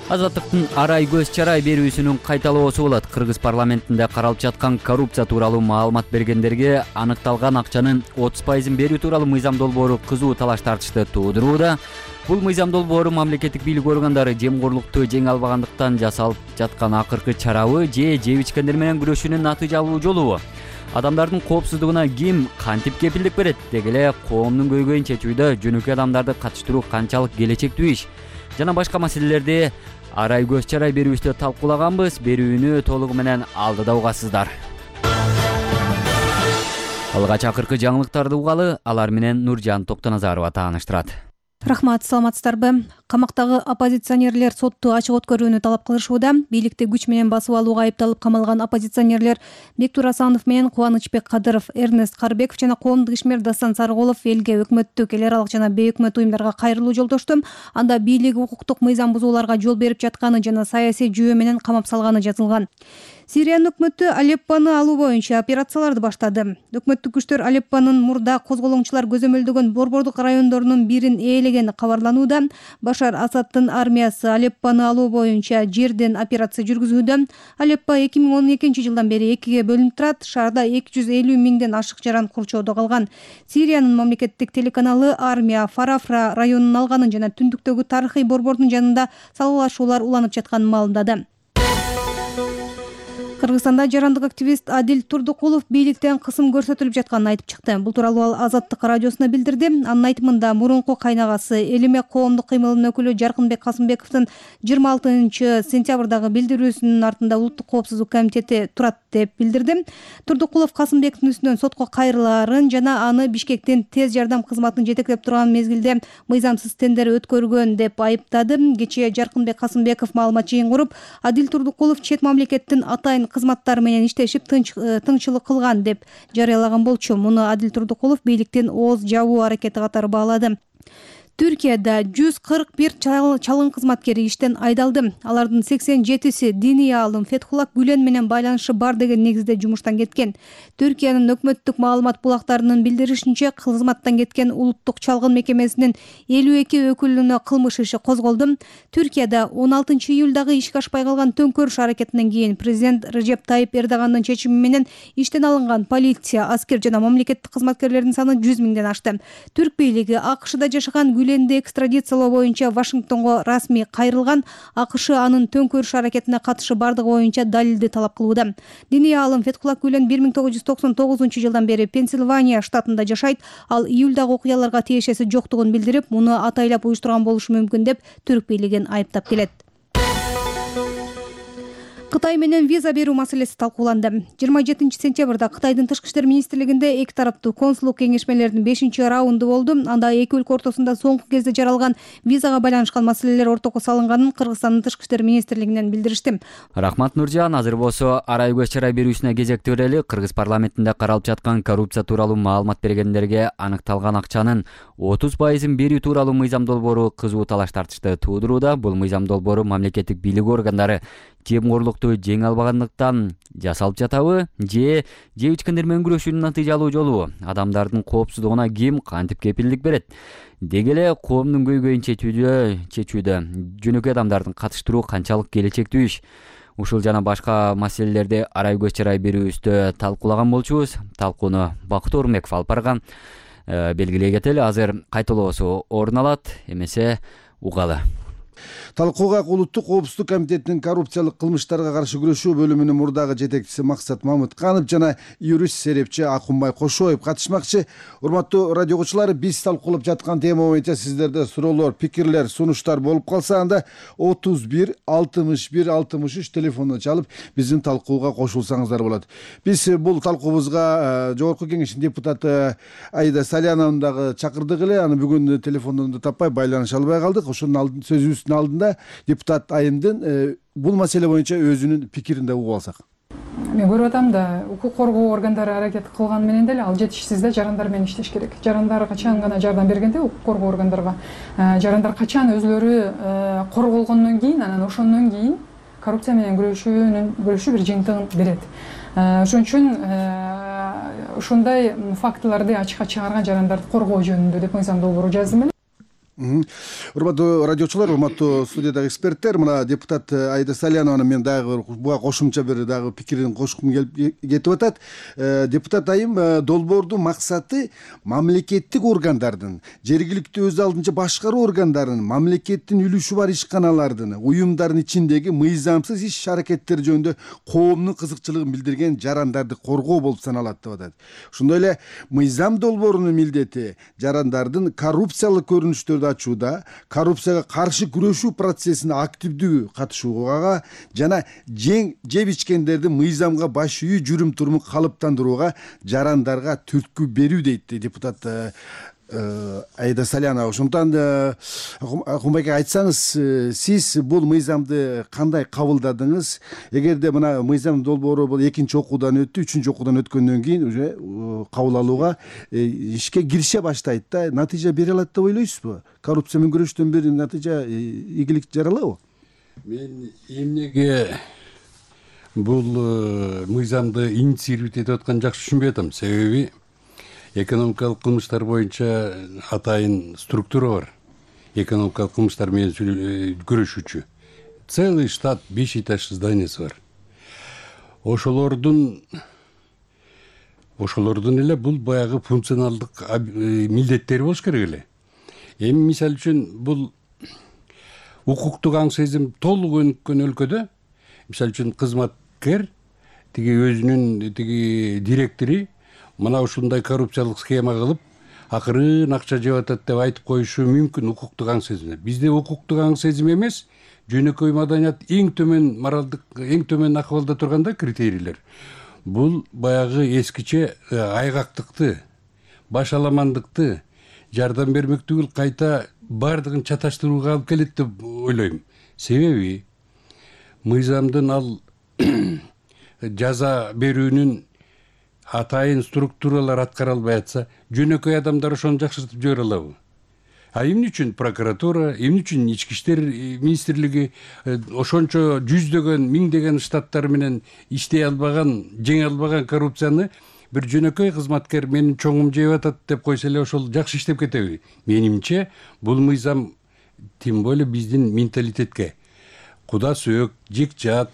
Азаттыктын арай көз чарай берүүсүнүн кайталоосу болот. Кыргыз парламентинде каралып жаткан коррупция тууралуу маалымат бергендерге аныкталган акчанын отуз пайызын берүү тууралуу мыйзам долбоору кызуу талаш тартышты туудурууда. Бул мыйзам долбоору мамлекеттик бийлик органдары жемкорлукту жеңе албагандыктан жасалып жаткан акыркы чарабы же жеп ичкендер менен күрөшүүнүн натыйжалуу жолубу? Адамдардын коопсуздугуна ким кантип кепилдик берет? Деги эле коомдун көйгөйүн чечүүдө жөнөкөй адамдарды катыштыруу канчалык келечектүү иш? Жана башка маселелерди арай көз чарай берүүбүздө талкуулаганбыз. Берүүнү толугу менен алдыда угасыздар. Алгач акыркы жаңылыктарды угалы, алар менен Нуржан Токтоназарова тааныштырат. Рахмат, саламатсыздарбы? Камактагы оппозиционерлер сотту ачык өткөрүүнү талап кылышууда. Бийликти күч менен басып алууга айыпталып камалган оппозиционерлер Бектур Асанов менен Кубанычбек Кадыров, Эрнест Карбеков жана коомдук ишмер Дастан Сарыголов элге, өкмөттүк, эл аралык жана бейөкмөт уюмдарга кайрылуу жолдошту. Анда бийлик укуктук мыйзам бузууларга жол берип жатканы жана саясий жүйө менен камап салганы жазылган. Сириянын өкмөтү Алеппону алуу боюнча операцияларды баштады. Өкмөттүк күчтөр Алеппонун мурда козголоңчулар көзөмөлдөгөн борбордук райондорунун бирин ээлегени кабарланууда. Башар Асаддын армиясы Алеппону алуу боюнча жерден операция жүргүзүүдө. Алеппо эки миң он экинчи жылдан бери экиге бөлүнүп турат. Шаарда эки жүз элүү миңден ашык жаран курчоодо калган. Сириянын мамлекеттик телеканалы армия Фарафра районун алганын жана түндүктөгү тарыхый борбордун жанында салгылашуулар уланып жатканын маалымдады. Кыргызстанда жарандык активист Адил Турдукулов бийликтен кысым көрсөтүлүп жатканын айтып чыкты. Бул тууралуу ал Азаттык радиосуна билдирди. Анын айтымында мурунку кайнагасы Элиме коомдук кыймылынын өкүлү Жаркынбек Касымбековдун жыйырма алтынчы сентябрдагы билдирүүсүнүн артында Улуттук коопсуздук комитети турат деп билдирди. Турдукулов Касымбековдун үстүнөн сотко кайрылаарын жана аны Бишкектин тез жардам кызматын жетектеп турган мезгилде мыйзамсыз тендер өткөргөн деп айыптады. Кечээ Жаркынбек Касымбеков маалымат жыйын куруп, Адил Турдукулов чет мамлекеттин атайын кызматтары менен иштешип тыңчылык кылган деп жарыялаган болчу. Муну Адил Турдукулов бийликтин ооз жабуу аракети катары баалады. Түркияда жүз кырк бир чалгын кызматкери иштен айдалды. Алардын сексен жетиси диний аалым Фетхулла Гүлен менен байланышы бар деген негизде жумуштан кеткен. Түркиянын өкмөттүк маалымат булактарынын билдиришинче, кызматтан кеткен улуттук чалгын мекемесинин элүү эки өкүлүнө кылмыш иши козголду. Түркияда он алтынчы июлдагы ишке ашпай калган төңкөрүш аракетинен кийин президент Режеп Тайип Эрдогандын чечими менен иштен алынган полиция, аскер жана мамлекеттик кызматкерлердин саны жүз миңден ашты. Түрк бийлиги АКШда жашаган Гүленди экстрадициялоо боюнча Вашингтонго расмий кайрылган. АКШ анын төңкөрүш аракетине катышы бардыгы боюнча далилди талап кылууда. Диний аалым Фетхулла Гүлен бир миң тогуз жүз токсон тогузунчу жылдан бери Пенсильвания штатында жашайт. Ал июлдагы окуяларга тиешеси жоктугун билдирип, муну атайлап уюштурган болушу мүмкүн деп Түрк бийлигин айыптап келет. Кытай менен виза берүү маселеси талкууланды. жыйырма жетинчи сентябрда Кытайдын тышкы иштер министрлигинде эки тараптуу консулдук кеңешмелердин бешинчи раунду болду. Анда эки өлкө ортосунда соңку кезде жаралган визага байланышкан маселелер ортого салынганын Кыргызстандын тышкы иштер министрлигинен билдиришти. Рахмат, Нуржан. Азыр болсо арай көз чарай берүүсүнө кезекти берели. Кыргыз парламентинде каралып жаткан коррупция тууралуу маалымат бергендерге аныкталган акчанын отуз пайызын берүү тууралуу мыйзам долбоору кызуу талаш тартышты туудурууда. Бул мыйзам долбоору мамлекеттик бийлик органдары жемкорлукту жеңе албагандыктан жасалып жатабы же жеп ичкендер менен күрөшүүнүн натыйжалуу жолубу? Адамдардын коопсуздугуна ким кантип кепилдик берет? Деги эле коомдун көйгөйүн чечүүдө чечүүдө жөнөкөй адамдардын катыштыруу канчалык келечектүү иш? Ушул жана башка маселелерди арай көз чарай берүүбүздө талкуулаган болчубуз. Талкууну Бактуу Орунбеков алып барган. Белгилей кетели, азыр кайталоосу орун алат. Эмесе угалы. Талкууга улуттук коопсуздук комитетинин коррупциялык кылмыштарга каршы күрөшүү бөлүмүнүн мурдагы жетекчиси Максат Мамытканов жана юрист серепчи Акунбай Кошоев катышмакчы. Урматтуу радио угуучулар, биз талкуулап жаткан тема боюнча сиздерде суроолор, пикирлер, сунуштар болуп калса, анда отуз бир алтымыш бир алтымыш үч телефонуна чалып биздин талкууга кошулсаңыздар болот. Биз бул талкуубузга Жогорку Кеңештин депутаты Аида Саляновну дагы чакырдык эле. Аны бүгүн телефондон таппай байланыша албай калдык. Ошонун сөзүбүздүн алдында депутат Айымдын бул маселе боюнча өзүнүн пикирин да угуп алсак. Мен көрүп атам да, укук коргоо органдары аракет кылган менен деле ал жетишсиз да, жарандар менен иштеш керек. Жарандар качан гана жардам бергенде укук коргоо органдарга, жарандар качан өзүлөрү корголгондон кийин, анан ошондон кийин коррупция менен күрөшүүнүн күрөшүү бир жыйынтыгын берет. Ошон үчүн ушундай фактыларды ачыкка чыгарган жарандарды коргоо жөнүндө деп мыйзам долбоору жаздым эле. Урматтуу радиочулар, урматтуу студиядагы эксперттер, мына депутат Аида Салянованын мен дагы буга кошумча бир дагы пикирин кошкум келип кетип атат. Депутат Айым, долбоордун максаты мамлекеттик органдардын, жергиликтүү өз алдынча башкаруу органдарынын, мамлекеттин үлүшү бар ишканалардын, уюмдардын ичиндеги мыйзамсыз иш аракеттер жөнүндө коомдун кызыкчылыгын билдирген жарандарды коргоо болуп саналат деп атат. Ошондой эле мыйзам долбоорунун милдети жарандардын коррупциялык көрүнүштөрдү ачууда, коррупцияга каршы күрөшүү процессине активдүү катышууга жана жеп ичкендердин мыйзамга баш ийүү жүрүм турумун калыптандырууга жарандарга түрткү берүү дейт депутат Аида Салянова. Ошондон Акунбай айтсаңыз, сиз бул мыйзамды кандай кабылдадыңыз? Эгерде мына мыйзам долбоору бул экинчи окуудан өттү, үчүнчү окуудан өткөндөн кийин уже кабыл алууга ишке кирише баштайт да, натыйжа бере алат деп ойлойсузбу? Коррупция менен күрөштөн бир натыйжа, ийгилик жаралабы? Мен эмнеге бул мыйзамды инициировать этип атканын жакшы түшүнбөй атам. Себеби экономикалык кылмыштар боюнча атайын структура бар. Экономикалык кылмыштар менен күрөшүүчү. Целый штат, беш этаж зданиясы бар. Ошолордун ошолордун эле бул баягы функционалдык милдеттери болуш керек эле. Эми мисалы үчүн бул укуктук аң сезим толук өнүккөн өлкөдө, мисалы үчүн кызматкер тиги өзүнүн тиги директори мына ушундай коррупциялык схема кылып, акырын акча жеп атат деп айтып коюшу мүмкүн укуктук аң сезим. Бизде укуктук аң сезим эмес, жөнөкөй маданият эң төмөн моралдык, эң төмөн акыбалда турганда критерийлер. Бул баягы эскиче айгактыкты, башаламандыкты, жардам бермек түгүл кайта бардыгын чаташтырууга алып келет деп ойлойм. Себеби мыйзамдын ал жаза берүүнүн атайын структуралар аткара албай атса, жөнөкөй адамдар ошону жакшыртып жибере алабы? А эмне үчүн прокуратура, эмне үчүн ички иштер министрлиги ошончо жүздөгөн, миңдеген штаттар менен иштей албаган, жеңе албаган коррупцияны бир жөнөкөй кызматкер менин чоңум жеп атат деп койсо эле ошол жакшы иштеп кетеби? Менимче, бул мыйзам тем более биздин менталитетке, куда сөөк, жекжат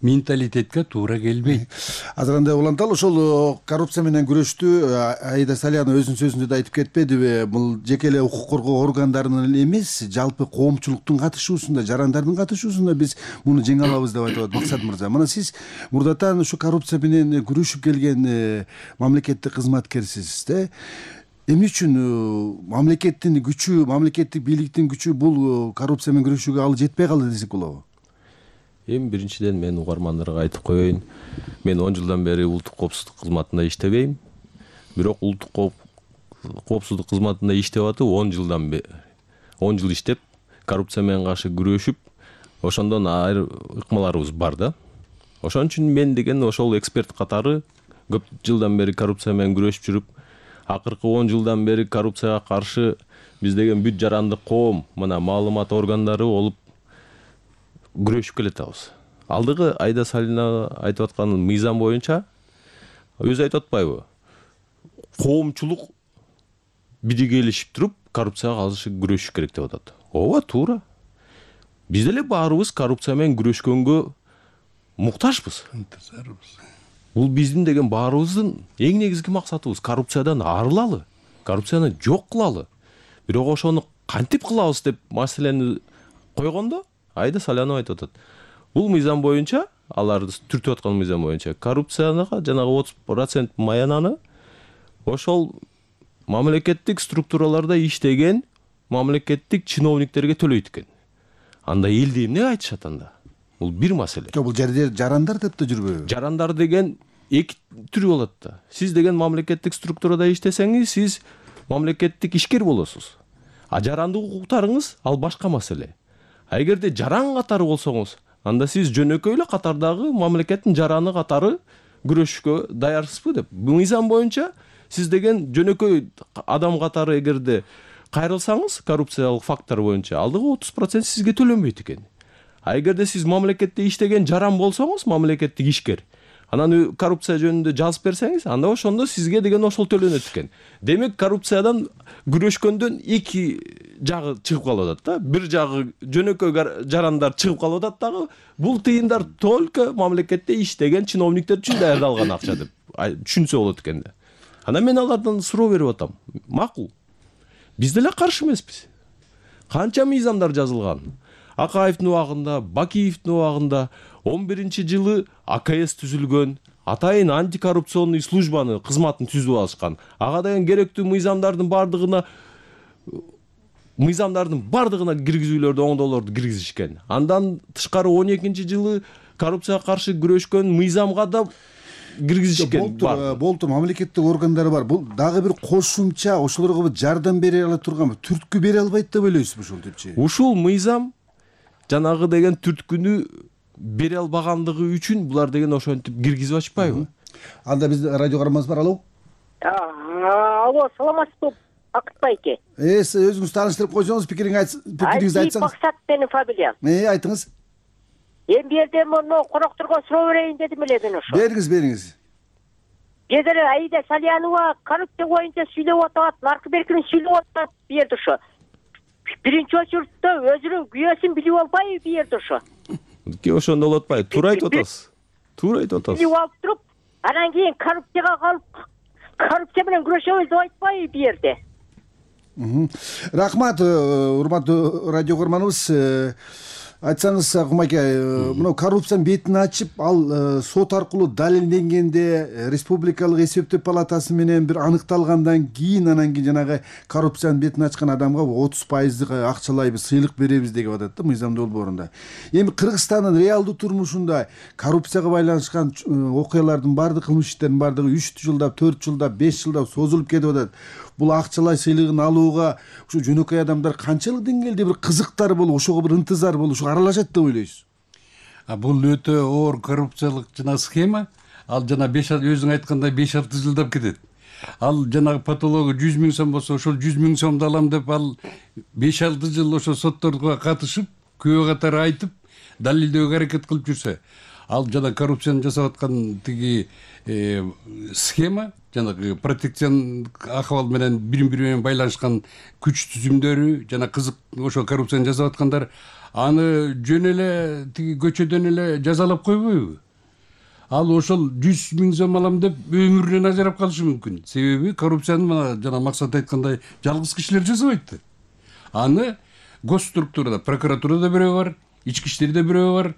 менталитетке туура келбейт. Азыр андай уланталы, ошол коррупция менен күрөштү Аида Салянова өзүнүн сөзүндө да айтып кетпедиби? Бул жеке эле укук коргоо органдарынын эле эмес, жалпы коомчулуктун катышуусунда, жарандардын катышуусунда биз муну жеңе алабыз деп айтып атат Максат мырза. Мына сиз мурдатан ушу коррупция менен күрөшүп келген мамлекеттик кызматкерсиз да. Эмне үчүн мамлекеттин күчү, мамлекеттик бийликтин күчү бул коррупция менен күрөшүүгө ал жетпей калды десек болобу? Эми биринчиден мен угармандарга айтып коеюн, мен он жылдан бери улуттук коопсуздук кызматында иштебейм. Бирок улуттук коопсуздук кызматында иштеп атып он жылдан бери он жыл иштеп, коррупция менен каршы күрөшүп, ошондон айрым ыкмаларыбыз бар да. Ошон үчүн мен деген ошол эксперт катары көп жылдан бери коррупция менен күрөшүп жүрүп, акыркы он жылдан бери коррупцияга каршы биз деген бүт жарандык коом, мына маалымат органдары болуп күрөшүп келатабыз. Алдыгы Аида Салянова айтып аткан мыйзам боюнча өзү айтып атпайбы? Коомчулук биригелешип туруп коррупцияга каршы күрөшүш керек деп атат. Ооба, туура. Биз деле баарыбыз коррупция менен күрөшкөнгө муктажбыз. Бул биздин деген баарыбыздын эң негизги максатыбыз — коррупциядан арылалы, коррупцияны жок кылалы. Бирок ошону кантип кылабыз деп маселени койгондо Аида Салянова айтып атат. Бул мыйзам боюнча, аларды түртүп аткан мыйзам боюнча коррупцияга жанагы отуз процент маянаны ошол мамлекеттик структураларда иштеген мамлекеттик чиновниктерге төлөйт экен. Анда элде эмне айтышат анда? Бул бир маселе. Жок, бул жерде жарандар деп да жүрбөйбү? Жарандар деген эки түрү болот да. Сиз деген мамлекеттик структурада иштесеңиз, сиз мамлекеттик ишкер болосуз. А жарандык укуктарыңыз ал башка маселе. А эгерде жаран катары болсоңуз, анда сиз жөнөкөй эле катардагы мамлекеттин жараны катары күрөшүшкө даярсызбы деп. Бул мыйзам боюнча сиз деген жөнөкөй адам катары эгерде кайрылсаңыз коррупциялык факттар боюнча алдыгы отуз процент сизге төлөнбөйт экен. А эгерде сиз мамлекетте иштеген жаран болсоңуз, мамлекеттик ишкер, анан коррупция жөнүндө жазып берсеңиз, анда ошондо сизге деген ошол төлөнөт экен. Демек коррупциядан күрөшкөндөн эки жагы чыгып калып атат да. Бир жагы жөнөкөй жарандар чыгып калып атат дагы, бул тыйындар только мамлекетте иштеген чиновниктер үчүн даярдалган акча деп түшүнсө болот экен да. Анан мен алардан суроо берип атам. Макул. Биз деле каршы эмеспиз. Канча мыйзамдар жазылган. Акаевдин убагында, Бакиевдин убагында он биринчи жылы А К С түзүлгөн, атайын антикоррупционный службаны кызматын түзүп алышкан. Ага деген керектүү мыйзамдардын бардыгына мыйзамдардын бардыгына киргизүүлөрдү, оңдоолорду киргизишкен. Андан тышкары он экинчи жылы коррупцияга каршы күрөшкөн мыйзамга да киргизишкен. Болду, мамлекеттик органдар бар. Бул дагы бир кошумча ошолорго жардам бере ала турган, түрткү бере албайт деп ойлойсузбу ушул депчи? Ушул мыйзам жанагы деген түрткүнү бере албагандыгы үчүн булар деген ошентип киргизип ачпайбы? Анда биз радио карманыбыз бар. Алло. Алло, саламатсызбы, Акыт байке? Э, өзүңүз тааныштырып койсоңуз, пикириңиз пикириңизди айтсаңыз. Максат менин фамилиям. Э, айтыңыз. Эми бу жерде мону конокторго суроо берейин дедим эле мен ошо. Бериңиз, бериңиз. Бедер Аида Салянова коррупция боюнча сүйлөп атат, наркы беркини сүйлөп атат бу жерде ошо. Биринчи очередте өзүнүн күйөөсүн билип албайбы бу жерде ошо? Ки ошондо болот атпайбы? Туура айтып атасыз. Туура айтып атасыз. Билип алып туруп, анан кийин коррупцияга калып, коррупция менен күрөшөбүз деп айтпайбы бу жерде? Рахмат, урматтуу радио көрманыбыз. Айтсаңыз, Кумаке, мына коррупциянын бетин ачып, ал сот аркылуу далилденгенде, республикалык эсептөө палатасы менен бир аныкталгандан кийин, анан кийин жанагы коррупциянын бетин ачкан адамга отуз пайыздык акчалай бир сыйлык беребиз деп атат да мыйзам долбоорунда. Эми Кыргызстандын реалдуу турмушунда коррупцияга байланышкан окуялардын бардык, кылмыш иштердин бардыгы үч жылдап, төрт жылдап, беш жылдап созулуп кетип атат. Бул акчалай сыйлыгын алууга ушу жөнөкөй адамдар канчалык деңгээлде бир кызыктар болуп, ошого бир ынтызар болуп, ошо аралашат деп ойлойсуз? А бул өтө оор коррупциялык жана схема. Ал жана беш өзүң айткандай беш алты жылдап кетет. Ал жанагы патологу жүз миң сом болсо, ошол жүз миң сомду алам деп ал беш алты жыл ошо сотторго катышып, күбө катары айтып, далилдөөгө аракет кылып жүрсө, ал жана коррупцияны жасап аткан тиги схема, жанагы протекциондук акыбал менен бири-бири менен байланышкан күч түзүмдөрү, жана кызык ошо коррупцияны жасап аткандар аны жөн эле тиги көчөдөн эле жазалап койбойбу? Ал ошол жүз миң сом алам деп өмүрүнөн ажырап калышы мүмкүн. Себеби коррупцияны мына жана Максат айткандай жалгыз кишилер жасабайт да. Аны госструктурада, прокуратурада бирөө бар, ички иштерде бирөө бар,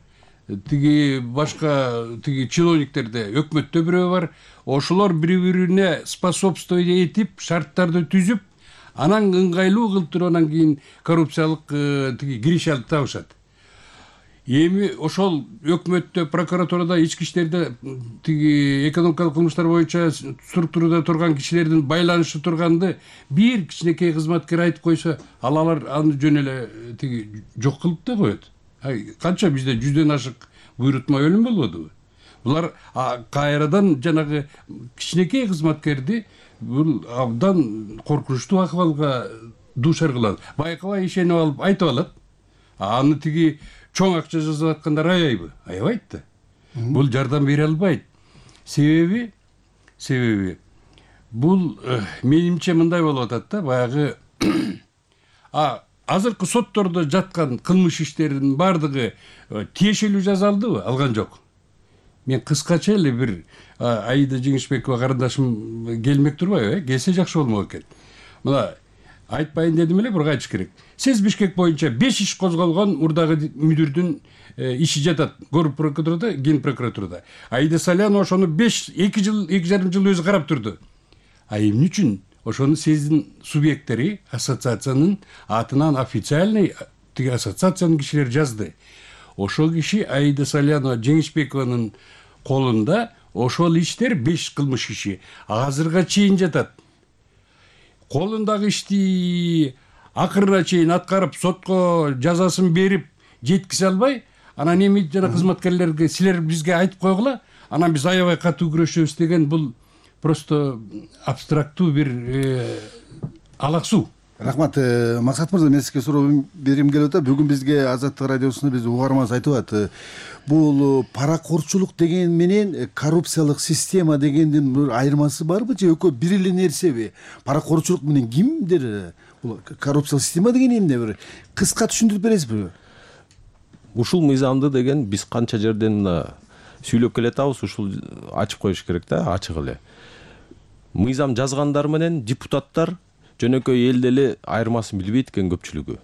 тиги башка тиги чиновниктерде, өкмөттө бирөө бар. Ошолор бири-бирине способствовать этип, шарттарды түзүп, анан ыңгайлуу кылып туруп анан кийин коррупциялык тиги киришалып табышат. Эми ошол өкмөттө, прокуратурада, ички иштерде тиги экономикалык кылмыштар боюнча структурада турган кишилердин байланышы турганды бир кичинекей кызматкер айтып койсо, ал алар аны жөн эле тиги жок кылып да коет. Канча бизде жүздөн ашык буйрутма өлүм болбодубу? Булар кайрадан жанагы кичинекей кызматкерди бул абдан коркунучтуу акыбалга дуушар кылат. Байкабай ишенип алып айтып алат. Аны тиги чоң акча жасап аткандар аябайбы? Аябайт да. Бул жардам бере албайт. Себеби себеби бул менимче мындай болуп атат да, баягы а азыркы соттордо жаткан кылмыш иштеринин бардыгы тиешелүү жазалдыбы? Алган жок. Мен кыскача эле бир Аида Жеңишбекова карындашым келмек турбайбы, э? Келсе жакшы болмок экен. Мына айтпайын дедим эле, бирок айтыш керек. Сиз Бишкек боюнча беш иш козголгон мурдагы мүдүрдүн иши жатат город прокуратурада, ген прокуратурада. Аида Салянова ошону беш эки жыл эки жарым жыл өзү карап турду. А эмне үчүн ошону сиздин субъекттери ассоциациянын атынан официальный тиги ассоциациянын кишилери жазды. Ошол киши Аида Салянова Жеңишбекованын колунда ошол иштер беш кылмыш иши азырга чейин жатат. Колундагы ишти акырына чейин аткарып, сотко жазасын берип жеткизе албай, анан эми жана кызматкерлерге силер бизге айтып койгула, анан биз аябай катуу күрөшөбүз деген бул просто абстрактуу бир алаксуу. Рахмат. Максат мырза, мен сизге суроо берим келип атат. Бүгүн бизге Азаттык радиосунда биз угарманыбыз айтып атат. Бул паракорчулук деген менен коррупциялык система дегендин бир айырмасы барбы же экөө бир эле нерсеби? Паракорчулук менен кимдер? Бул коррупциялык система деген эмне, бир кыска түшүндүрүп бересизби? Ушул мыйзамды деген биз канча жерден сүйлөп келатабыз, ушул ачып коюш керек да, ачык эле. Мыйзам жазгандар менен депутаттар жөнөкөй элде эле айырмасын билбейт экен көпчүлүгү.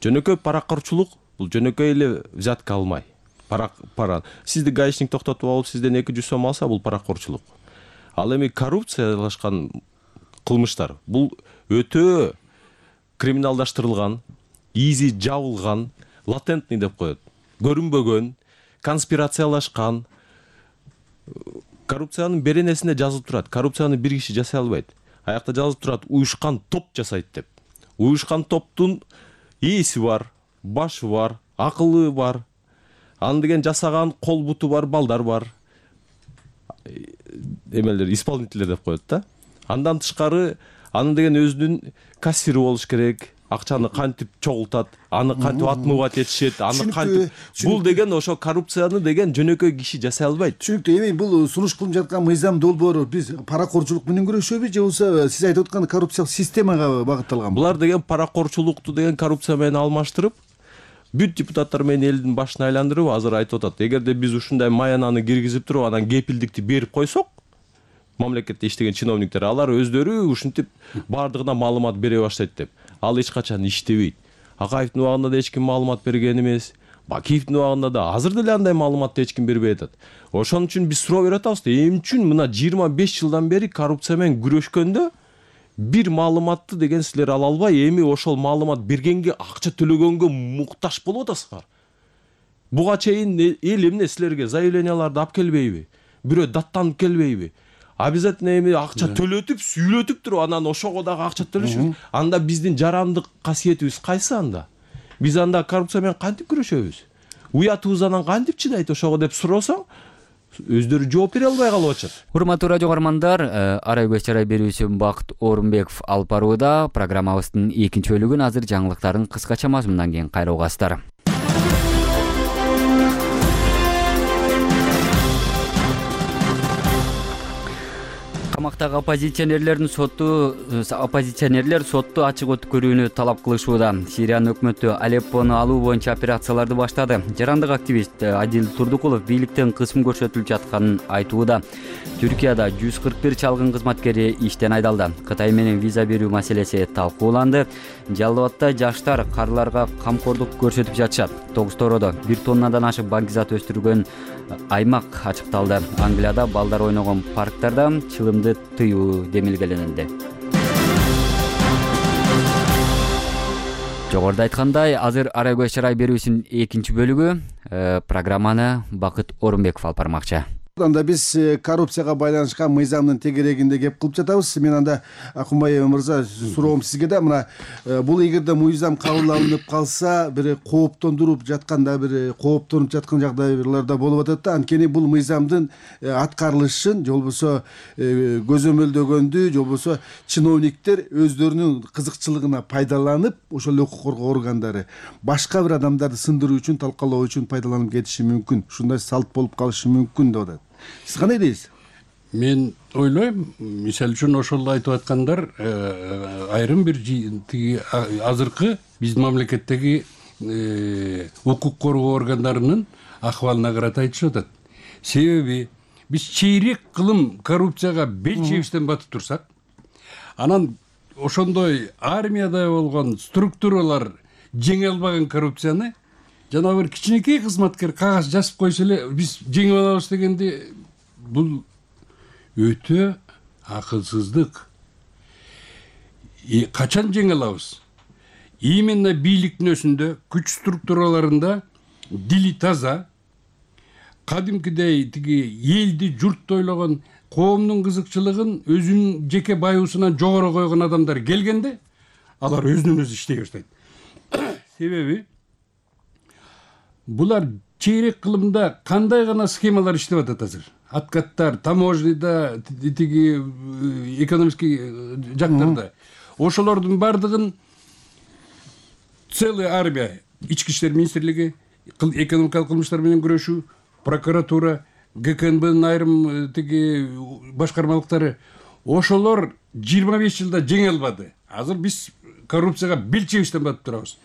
Жөнөкөй паракорчулук бул жөнөкөй эле взятка алмай. Пара пара. Сизди гаишник токтотуп алып, сизден эки жүз сом алса, бул паракорчулук. Ал эми коррупциялашкан кылмыштар бул өтө криминалдаштырылган, изи жабылган, латентный деп коет. Көрүнбөгөн, конспирациялашкан. Коррупциянын беренесинде жазылып турат. Коррупцияны бир киши жасай албайт. Аякта жазылып турат, уюшкан топ жасайт деп. Уюшкан топтун ээси бар, башы бар, акылы бар. Аны деген жасаган кол буту бар, балдар бар. Эмелер, исполнительдер деп коет да. Андан тышкары аны деген өзүнүн кассири болуш керек. Акчаны кантип чогултат, аны кантип отмывать этишет, аны кантип. Бул деген ошо коррупцияны деген жөнөкөй киши жасай албайт. Түшүнүктүү. Эми бул сунуш кылып жаткан мыйзам долбоору биз паракорчулук менен күрөшөбү же болбосо сиз айтып аткан коррупциялык системага багытталганбы? Булар деген паракорчулукту деген коррупция менен алмаштырып, бүт депутаттар менен элдин башын айландырып азыр айтып атат. Эгерде биз ушундай маянаны киргизип туруп, анан кепилдикти берип койсок, мамлекетте иштеген чиновниктер алар өздөрү ушинтип бардыгына маалымат бере баштайт деп. Ал эч качан иштебейт. Акаевдин убагында да эч ким маалымат берген эмес. Бакиевдин убагында да азыр деле андай маалыматты эч ким бербей атат. Ошон үчүн биз суроо берип атабыз. Эмне үчүн мына жыйырма беш жылдан бери коррупция менен күрөшкөндө бир маалыматты деген силер ала албай, эми ошол маалымат бергенге, акча төлөгөнгө муктаж болуп атасыздар. Буга чейин эл эмне силерге заявленияларды алып келбейби? Бирөө даттанып келбейби? Обязательно эми акча төлөтүп, сүйлөтүп туруп, анан ошого дагы акча төлөшүбүз. Анда биздин жарандык касиетибиз кайсы анда? Биз анда коррупция менен кантип күрөшөбүз? Уятыбыз анан кантип чыдайт ошого деп сурасаң, өздөрү жооп бере албай калып атышат. Урматтуу радио угармандар, арай көз чарай берүүчү Бакыт Орунбеков алып барууда. Программабыздын экинчи бөлүгүн азыр жаңылыктардын кыскача мазмунунан кийин кайра угасыздар. Камактагы оппозиционерлердин сотту оппозиционерлер сотту ачык өткөрүүнү талап кылышууда. Сириянын өкмөтү Алеппону алуу боюнча операцияларды баштады. Жарандык активист Адил Турдукулов бийликтен кысым көрсөтүлүп жатканын айтууда. Түркияда жүз кырк бир чалгын кызматкери иштен айдалды. Кытай менен виза берүү маселеси талкууланды. Жалал Абадта жаштар карыларга камкордук көрсөтүп жатышат. Тогуз-Тородо бир тоннадан ашык бакизат өстүргөн аймак ачыкталды. Англияда балдар ойногон парктарда чылымды тыюу демилгеленди. Жогоруда айткандай, азыр арай көз чарай берүүсүнүн экинчи бөлүгү. Программаны Бакыт Орунбеков алып бармакчы. Анда биз коррупцияга байланышкан мыйзамдын тегерегинде кеп кылып жатабыз. Мен анда Акунбай мырза суроом сизге да, мына бул эгерде мыйзам кабыл алынып калса, бир кооптондуруп жатканда, бир кооптонуп жаткан жагдайларда болуп атат да. Анткени бул мыйзамдын аткарылышын, же болбосо көзөмөлдөгөндү, же болбосо чиновниктер өздөрүнүн кызыкчылыгына пайдаланып, ошол укук коргоо органдары башка бир адамдарды сындыруу үчүн, талкалоо үчүн пайдаланып кетиши мүмкүн. Ушундай салт болуп калышы мүмкүн деп атат. Сиз кандай дейсиз? Мен ойлойм, мисалы үчүн ошол айтып аткандар айрым бир тиги азыркы биздин мамлекеттеги укук коргоо органдарынын акыбалына карата айтышып атат. Себеби биз чейрек кылым коррупцияга бел чебистен батып турсак, анан ошондой армияда болгон структуралар жеңе албаган коррупцияны жанагы бир кичинекей кызматкер кагаз жазып койсо эле биз жеңип алабыз дегенди, бул өтө акылсыздык. Качан жеңе алабыз? Именно бийликтин өзүндө, күч структураларында дили таза, кадимкидей тиги элди журтты ойлогон, коомдун кызыкчылыгын өзүнүн жеке баюусунан жогору койгон адамдар келгенде, алар өзүнөн өзү иштей баштайт. Себеби булар чейрек кылымда кандай гана схемалар иштеп атат азыр. Откаттар, таможняда, тиги экономический жактарда. Ошолордун бардыгын целая армия, ички иштер министрлиги, экономикалык кылмыштар менен күрөшүү, прокуратура, ГКНБнын айрым тиги башкармалыктары, ошолор жыйырма беш жылда жеңе албады. Азыр биз коррупцияга бел чебиштен батып турабыз.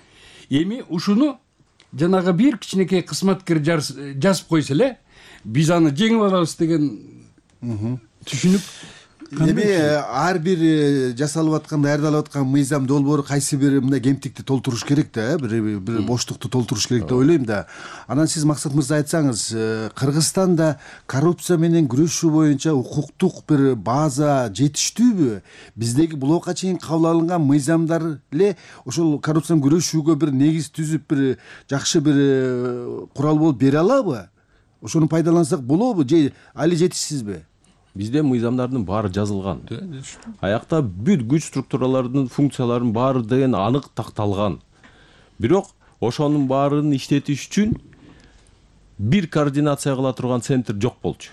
Эми ушуну жанагы бир кичинекей кызматкер жазып койсо эле, биз аны жеңип алабыз деген түшүнүк. Эми ар бир жасалып аткан, даярдалып аткан мыйзам долбоору кайсы бир мындай кемтикти толтуруш керек да, бир бир боштукту толтуруш керек деп ойлойм да. Анан сиз Максат мырза айтсаңыз, Кыргызстанда коррупция менен күрөшүү боюнча укуктук бир база жетиштүүбү? Биздеги булга чейин кабыл алынган мыйзамдар эле ошол коррупция менен күрөшүүгө бир негиз түзүп, бир жакшы бир курал болуп бере алабы? Ошону пайдалансак болобу же али жетишсизби? Бизде мыйзамдардын баары жазылган. Аякта бүт күч структураларынын функцияларынын баары деген анык такталган. Бирок ошонун баарын иштетиш үчүн бир координация кыла турган центр жок болчу.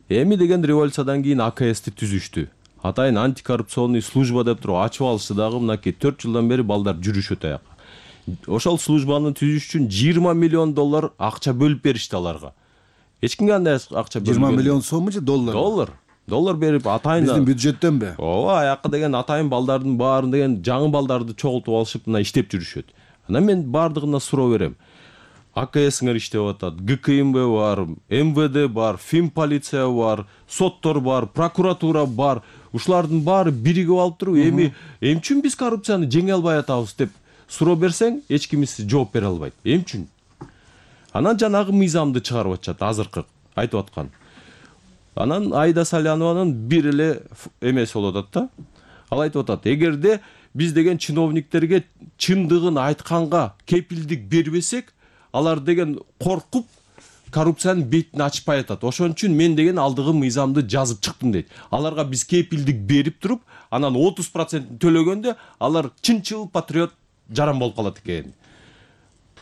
Эми деген революциядан кийин А К С'ти түзүштү. Атайын антикоррупционный служба деп туруп ачып алышты дагы, мынакей төрт жылдан бери балдар жүрүшөт аяка. Ошол службаны түзүш үчүн жыйырма миллион доллар акча бөлүп беришти аларга. Эч кимге андай акча бөлүнбөдү. жыйырма миллион сомму же доллар? Доллар. Доллар берип атайын. Биздин бюджеттенби? Ооба, аякка деген атайын балдардын баарын деген жаңы балдарды чогултуп алышып мына иштеп жүрүшөт. Анан мен бардыгына суроо берем. А К С'ңер иштеп атат, Г К М Б бар, М В Д бар, Фин полиция бар, соттор бар, прокуратура бар. Ушулардын баары биригип алып туруп, эми эмне үчүн биз коррупцияны жеңе албай атабыз деп суроо берсең, эч ким жооп бере албайт. Эмне үчүн? Анан жанагы мыйзамды чыгарып атышат, азыркы айтып аткан. Анан Аида Салянованын бир эле эмеси болуп атат да. Ал айтып атат, эгерде биз деген чиновниктерге чындыгын айтканга кепилдик бербесек, алар деген коркуп коррупциянын бетин ачпай атат. Ошон үчүн мен деген алдыгы мыйзамды жазып чыктым дейт. Аларга биз кепилдик берип туруп, анан отуз процентин төлөгөндө алар чынчыл патриот жаран болуп калат экен.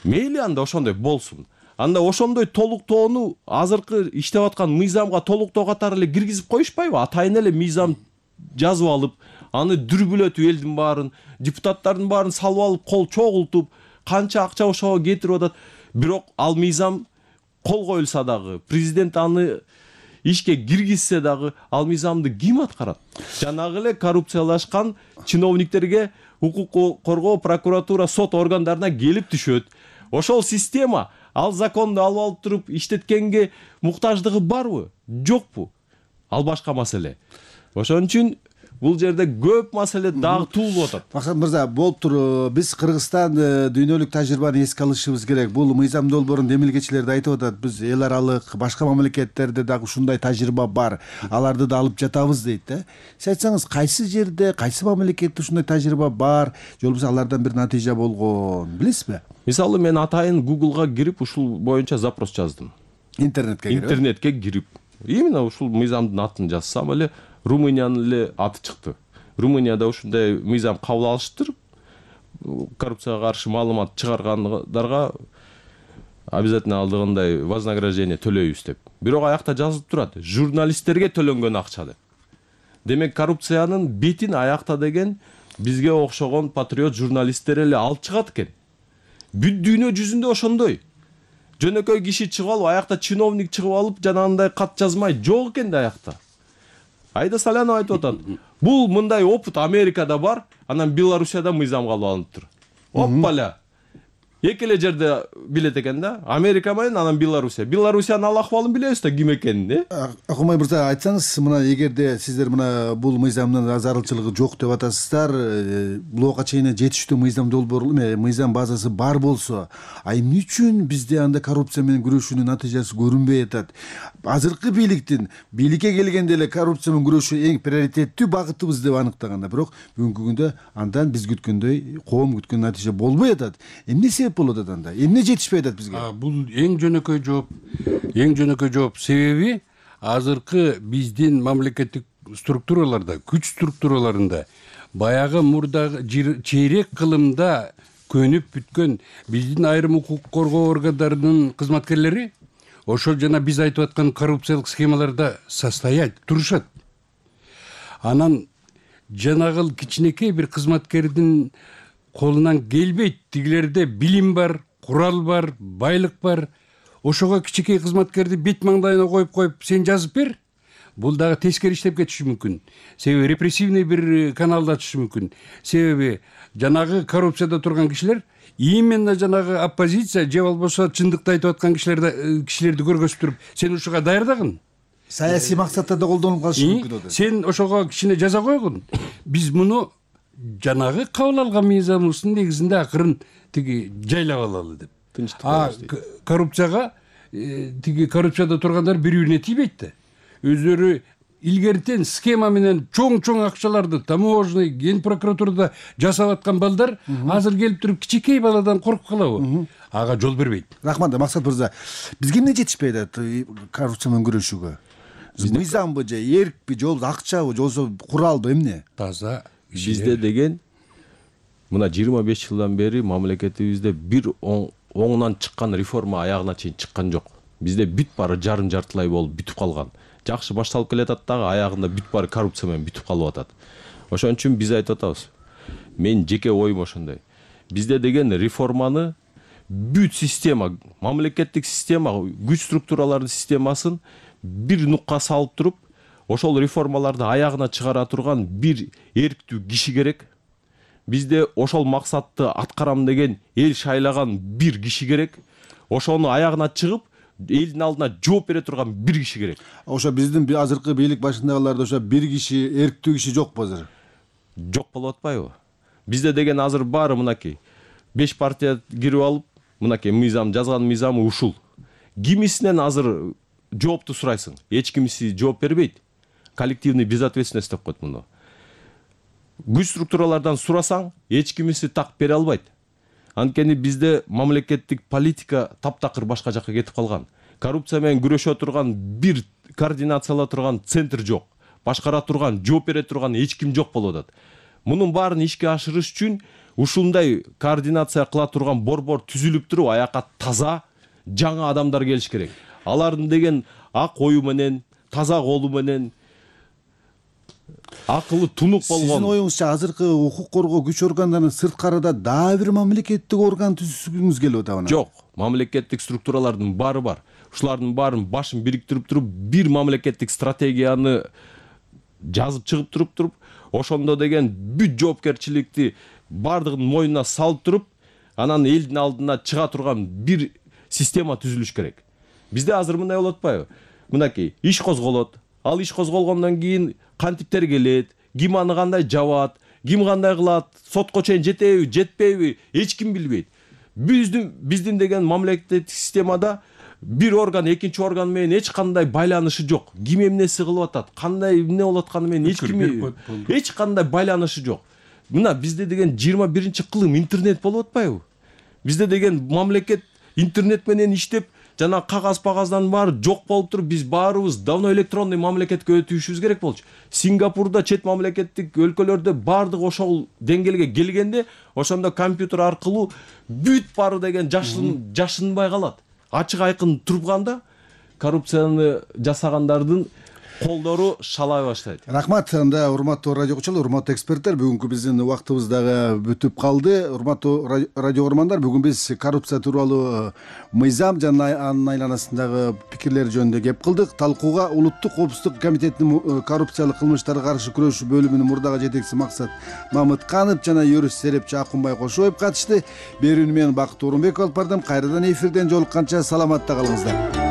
Мейли анда ошондой болсун. Анда ошондой толуктоону азыркы иштеп аткан мыйзамга толуктоо катары эле киргизип коюшпайбы? Атайын эле мыйзам жазып алып, аны дүрбүлөтүп элдин баарын, депутаттардын баарын салып алып, кол чогултуп, канча акча ошого кетирип атат. Бирок ал мыйзам кол коюлса дагы, президент аны ишке киргизсе дагы, ал мыйзамды ким аткарат? Жанагы эле коррупциялашкан чиновниктерге укук коргоо, прокуратура, сот органдарына келип түшөт. Ошол система ал законду алып алып туруп иштеткенге муктаждыгы барбы? Жокпу? Ал башка маселе. Ошон үчүн бул жерде көп маселе дагы туулуп атат. Максат мырза, болуптур, биз Кыргызстан дүйнөлүк тажрыйбаны эске алышыбыз керек. Бул мыйзам долбоорун демилгечилер да айтып атат. Биз эл аралык башка мамлекеттерде дагы ушундай тажрыйба бар. Аларды да алып жатабыз дейт да. Сиз айтсаңыз, кайсы жерде, кайсы мамлекетте ушундай тажрыйба бар, же болбосо алардан бир натыйжа болгон, билесизби? Мисалы, мен атайын Google'га кирип ушул боюнча запрос жаздым. Интернетке кирип? Интернетке кирип. Именно ушул мыйзамдын атын жазсам эле Румыниянын эле аты чыкты. Румынияда ушундай мыйзам кабыл алыштыр. Коррупцияга каршы маалымат чыгаргандарга обязательно алдыгындай вознаграждение төлөйбүз деп. Бирок аякта жазылып турат, журналисттерге төлөнгөн акча деп. Демек коррупциянын бетин аякта деген бизге окшогон патриот журналисттер эле алып чыгат экен. Бүт дүйнө жүзүндө ошондой. Жөнөкөй киши чыгып алып, аякта чиновник чыгып алып, жанагындай кат жазмай жок экен да аякта. Аида Салянова айтып атат. Бул мындай опыт Америкада бар, анан Белоруссияда мыйзам кабыл алыныптыр. Оппаля. эки эле жерде билет экен да, Америка менен анан Белоруссия. Белоруссиянын ал акыбалын билебиз да, ким экенин. Акылмай мырза, айтсаңыз, мына эгерде сиздер мына бул мыйзамдын зарылчылыгы жок деп атасыздар, буга чейин жетиштүү мыйзам долбоору, мыйзам базасы бар болсо, а эмне үчүн бизде анда коррупция менен күрөшүүнүн натыйжасы көрүнбөй атат? Азыркы бийликтин бийликке келгенде эле коррупция менен күрөшүү эң приоритеттүү багытыбыз деп аныктаганда, бирок бүгүнкү күндө андан биз күткөндөй, коом күткөн натыйжа болбой атат. Эмне себеп болуп атат анда? Эмне жетишпей атат бизге? Бул эң жөнөкөй жооп. Эң жөнөкөй жооп. Себеби азыркы биздин мамлекеттик структураларда, күч структураларында баягы мурдагы чейрек кылымда көнүп бүткөн биздин айрым укук коргоо органдарынын кызматкерлери ошол жана биз айтып аткан коррупциялык схемаларда состоять, турушат. Анан жанагыл кичинекей бир кызматкердин колунан келбейт. Тигилерде билим бар, курал бар, байлык бар. Ошого кичинекей кызматкерди бет маңдайына коюп коюп, сен жазып бер. Бул дагы тескери иштеп кетиши мүмкүн. Себеби репрессивный бир каналды ачышы мүмкүн. Себеби жанагы коррупцияда турган кишилер именно жанагы оппозиция же болбосо чындыкты айтып аткан кишилерди кишилерди көргөзүп туруп, сен ушуга даярдагын. Саясий максатта да колдонулуп калышы мүмкүн да. Сен ошого кичине жаза койгун. Биз муну жанагы кабыл алган мыйзамыбыздын негизинде акырын тиги жайлап алалы деп. А коррупцияга тиги коррупцияда тургандар бири-бирине тийбейт да. Өздөрү илгертен схема менен чоң-чоң акчаларды таможный, ген прокуратурада жасап аткан балдар азыр келип туруп кичинекей баладан коркуп калабы? Ага жол бербейт. Рахмат, Максат мырза. Бизге эмне жетишпей атат коррупция менен күрөшүүгө? Мыйзамбы же, эркпи, жол акчабы, жолсо куралбы, эмне? Таза. Бизде деген мына жыйырма беш жылдан бери мамлекетибизде бир оңунан чыккан реформа аягына чейин чыккан жок. Бизде бүт баары жарым жартылай болуп бүтүп калган. Жакшы башталып келатат дагы, аягында бүт баары коррупция менен бүтүп калып атат. Ошон үчүн биз айтып атабыз. Мен жеке оюм ошондой. Бизде деген реформаны бүт система, мамлекеттик система, күч структуралардын системасын бир нукка салып туруп, ошол реформаларды аягына чыгара турган бир эрктүү киши керек. Бизде ошол максатты аткарам деген эл шайлаган бир киши керек. Ошону аягына чыгып, элдин алдына жооп бере турган бир киши керек. Ошо биздин азыркы бийлик башындагыларда ошо бир киши, эрктүү киши жокпу азыр? Жок болуп атпайбы? Бизде деген азыр баары мынакей. беш партия кирип алып, мынакей мыйзам жазган мыйзамы ушул. Кимисинен азыр жоопту сурайсың? Эч кимиси жооп бербейт. Коллективный безответственность деп коет муну. Күч структуралардан сурасаң, эч кимиси так бере албайт. Анткени бизде мамлекеттик политика таптакыр башка жакка кетип калган. Коррупция менен күрөшө турган бир координациялап турган центр жок. Башкара турган, жооп бере турган эч ким жок болуп атат. Мунун баарын ишке ашырыш үчүн ушундай координация кыла турган борбор түзүлүп туруп, аяка таза, жаңы адамдар келиш керек. Алардын деген ак ою менен, таза колу менен, акылы тунук болгон. Сиздин оюңузча азыркы укук коргоо күч органдарынын сырткарыда дагы бир мамлекеттик орган түзүшүңүз келип атабы? Жок, мамлекеттик структуралардын баары бар. Ушулардын баарын башын бириктирип туруп, бир мамлекеттик стратегияны жазып чыгып туруп туруп, ошондо деген бүт жоопкерчиликти бардыгын мойнуна салып туруп, анан элдин алдына чыга турган бир система түзүлүш керек. Бизде азыр мындай болуп атпайбы? Мынакей, иш козголот. Ал иш козголгондон кийин кантиптер келет, ким аны кандай жабат, ким кандай кылат, сотко чейин жетеби, жетпейби, эч ким билбейт. Биздин биздин деген мамлекеттик системада бир орган экинчи орган менен эч кандай байланышы жок. Ким эмнеси кылып атат, кандай эмне болуп атканы менен эч ким эч кандай байланышы жок. Мына бизде деген жыйырма биринчи кылым интернет болуп атпайбы? Бизде деген мамлекет интернет менен иштеп, жана кагаз пагаздан баары жок болуп туруп, биз баарыбыз давно электронный мамлекетке өтүшүбүз керек болчу. Сингапурда, чет мамлекеттик өлкөлөрдө баардык ошол деңгээлге келгенде, ошондо компьютер аркылуу бүт баары деген жашын жашынбай калат. Ачык айкын турганда коррупцияны жасагандардын колдору шалай баштайт. Рахмат. Анда урматтуу радио угуучулар, урматтуу эксперттер, бүгүнкү биздин убактыбыз дагы бүтүп калды. Урматтуу радио угармандар, бүгүн биз коррупция тууралуу мыйзам жана анын айланасындагы пикирлер жөнүндө кеп кылдык. Талкууга Улуттук коопсуздук комитетинин коррупциялык кылмыштарга каршы күрөшүү бөлүмүнүн мурдагы жетекчиси Максат Мамытканов жана юрист серепчи Акунбай Кошоев катышты. Берүүнү мен Бакыт Орунбеков алып бардым. Кайрадан эфирден жолукканча саламатта калыңыздар.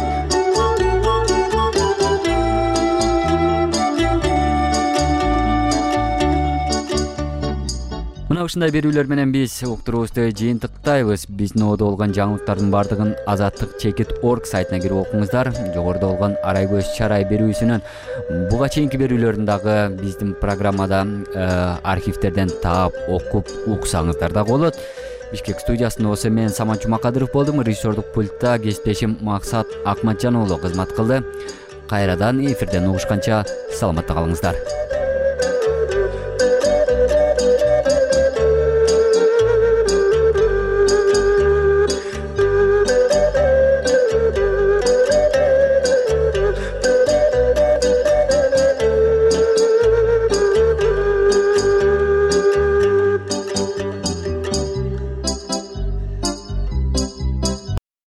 Мына ушундай берүүлөр менен биз уктуруубузду жыйынтыктайбыз. Биздин одо болгон жаңылыктардын бардыгын азаттык чекит точка орг сайтына кирип окуңуздар. Жогоруда болгон арай көз чарай берүүсүнөн буга чейинки берүүлөрүн дагы биздин программада архивтерден таап окуп уксаңыздар дагы болот. Бишкек студиясында болсо мен Самат Жумакадыров болдум. Режиссердук пультта кесиптешим Максат Акматжан уулу кызмат кылды. Кайрадан эфирден угушканча саламатта калыңыздар.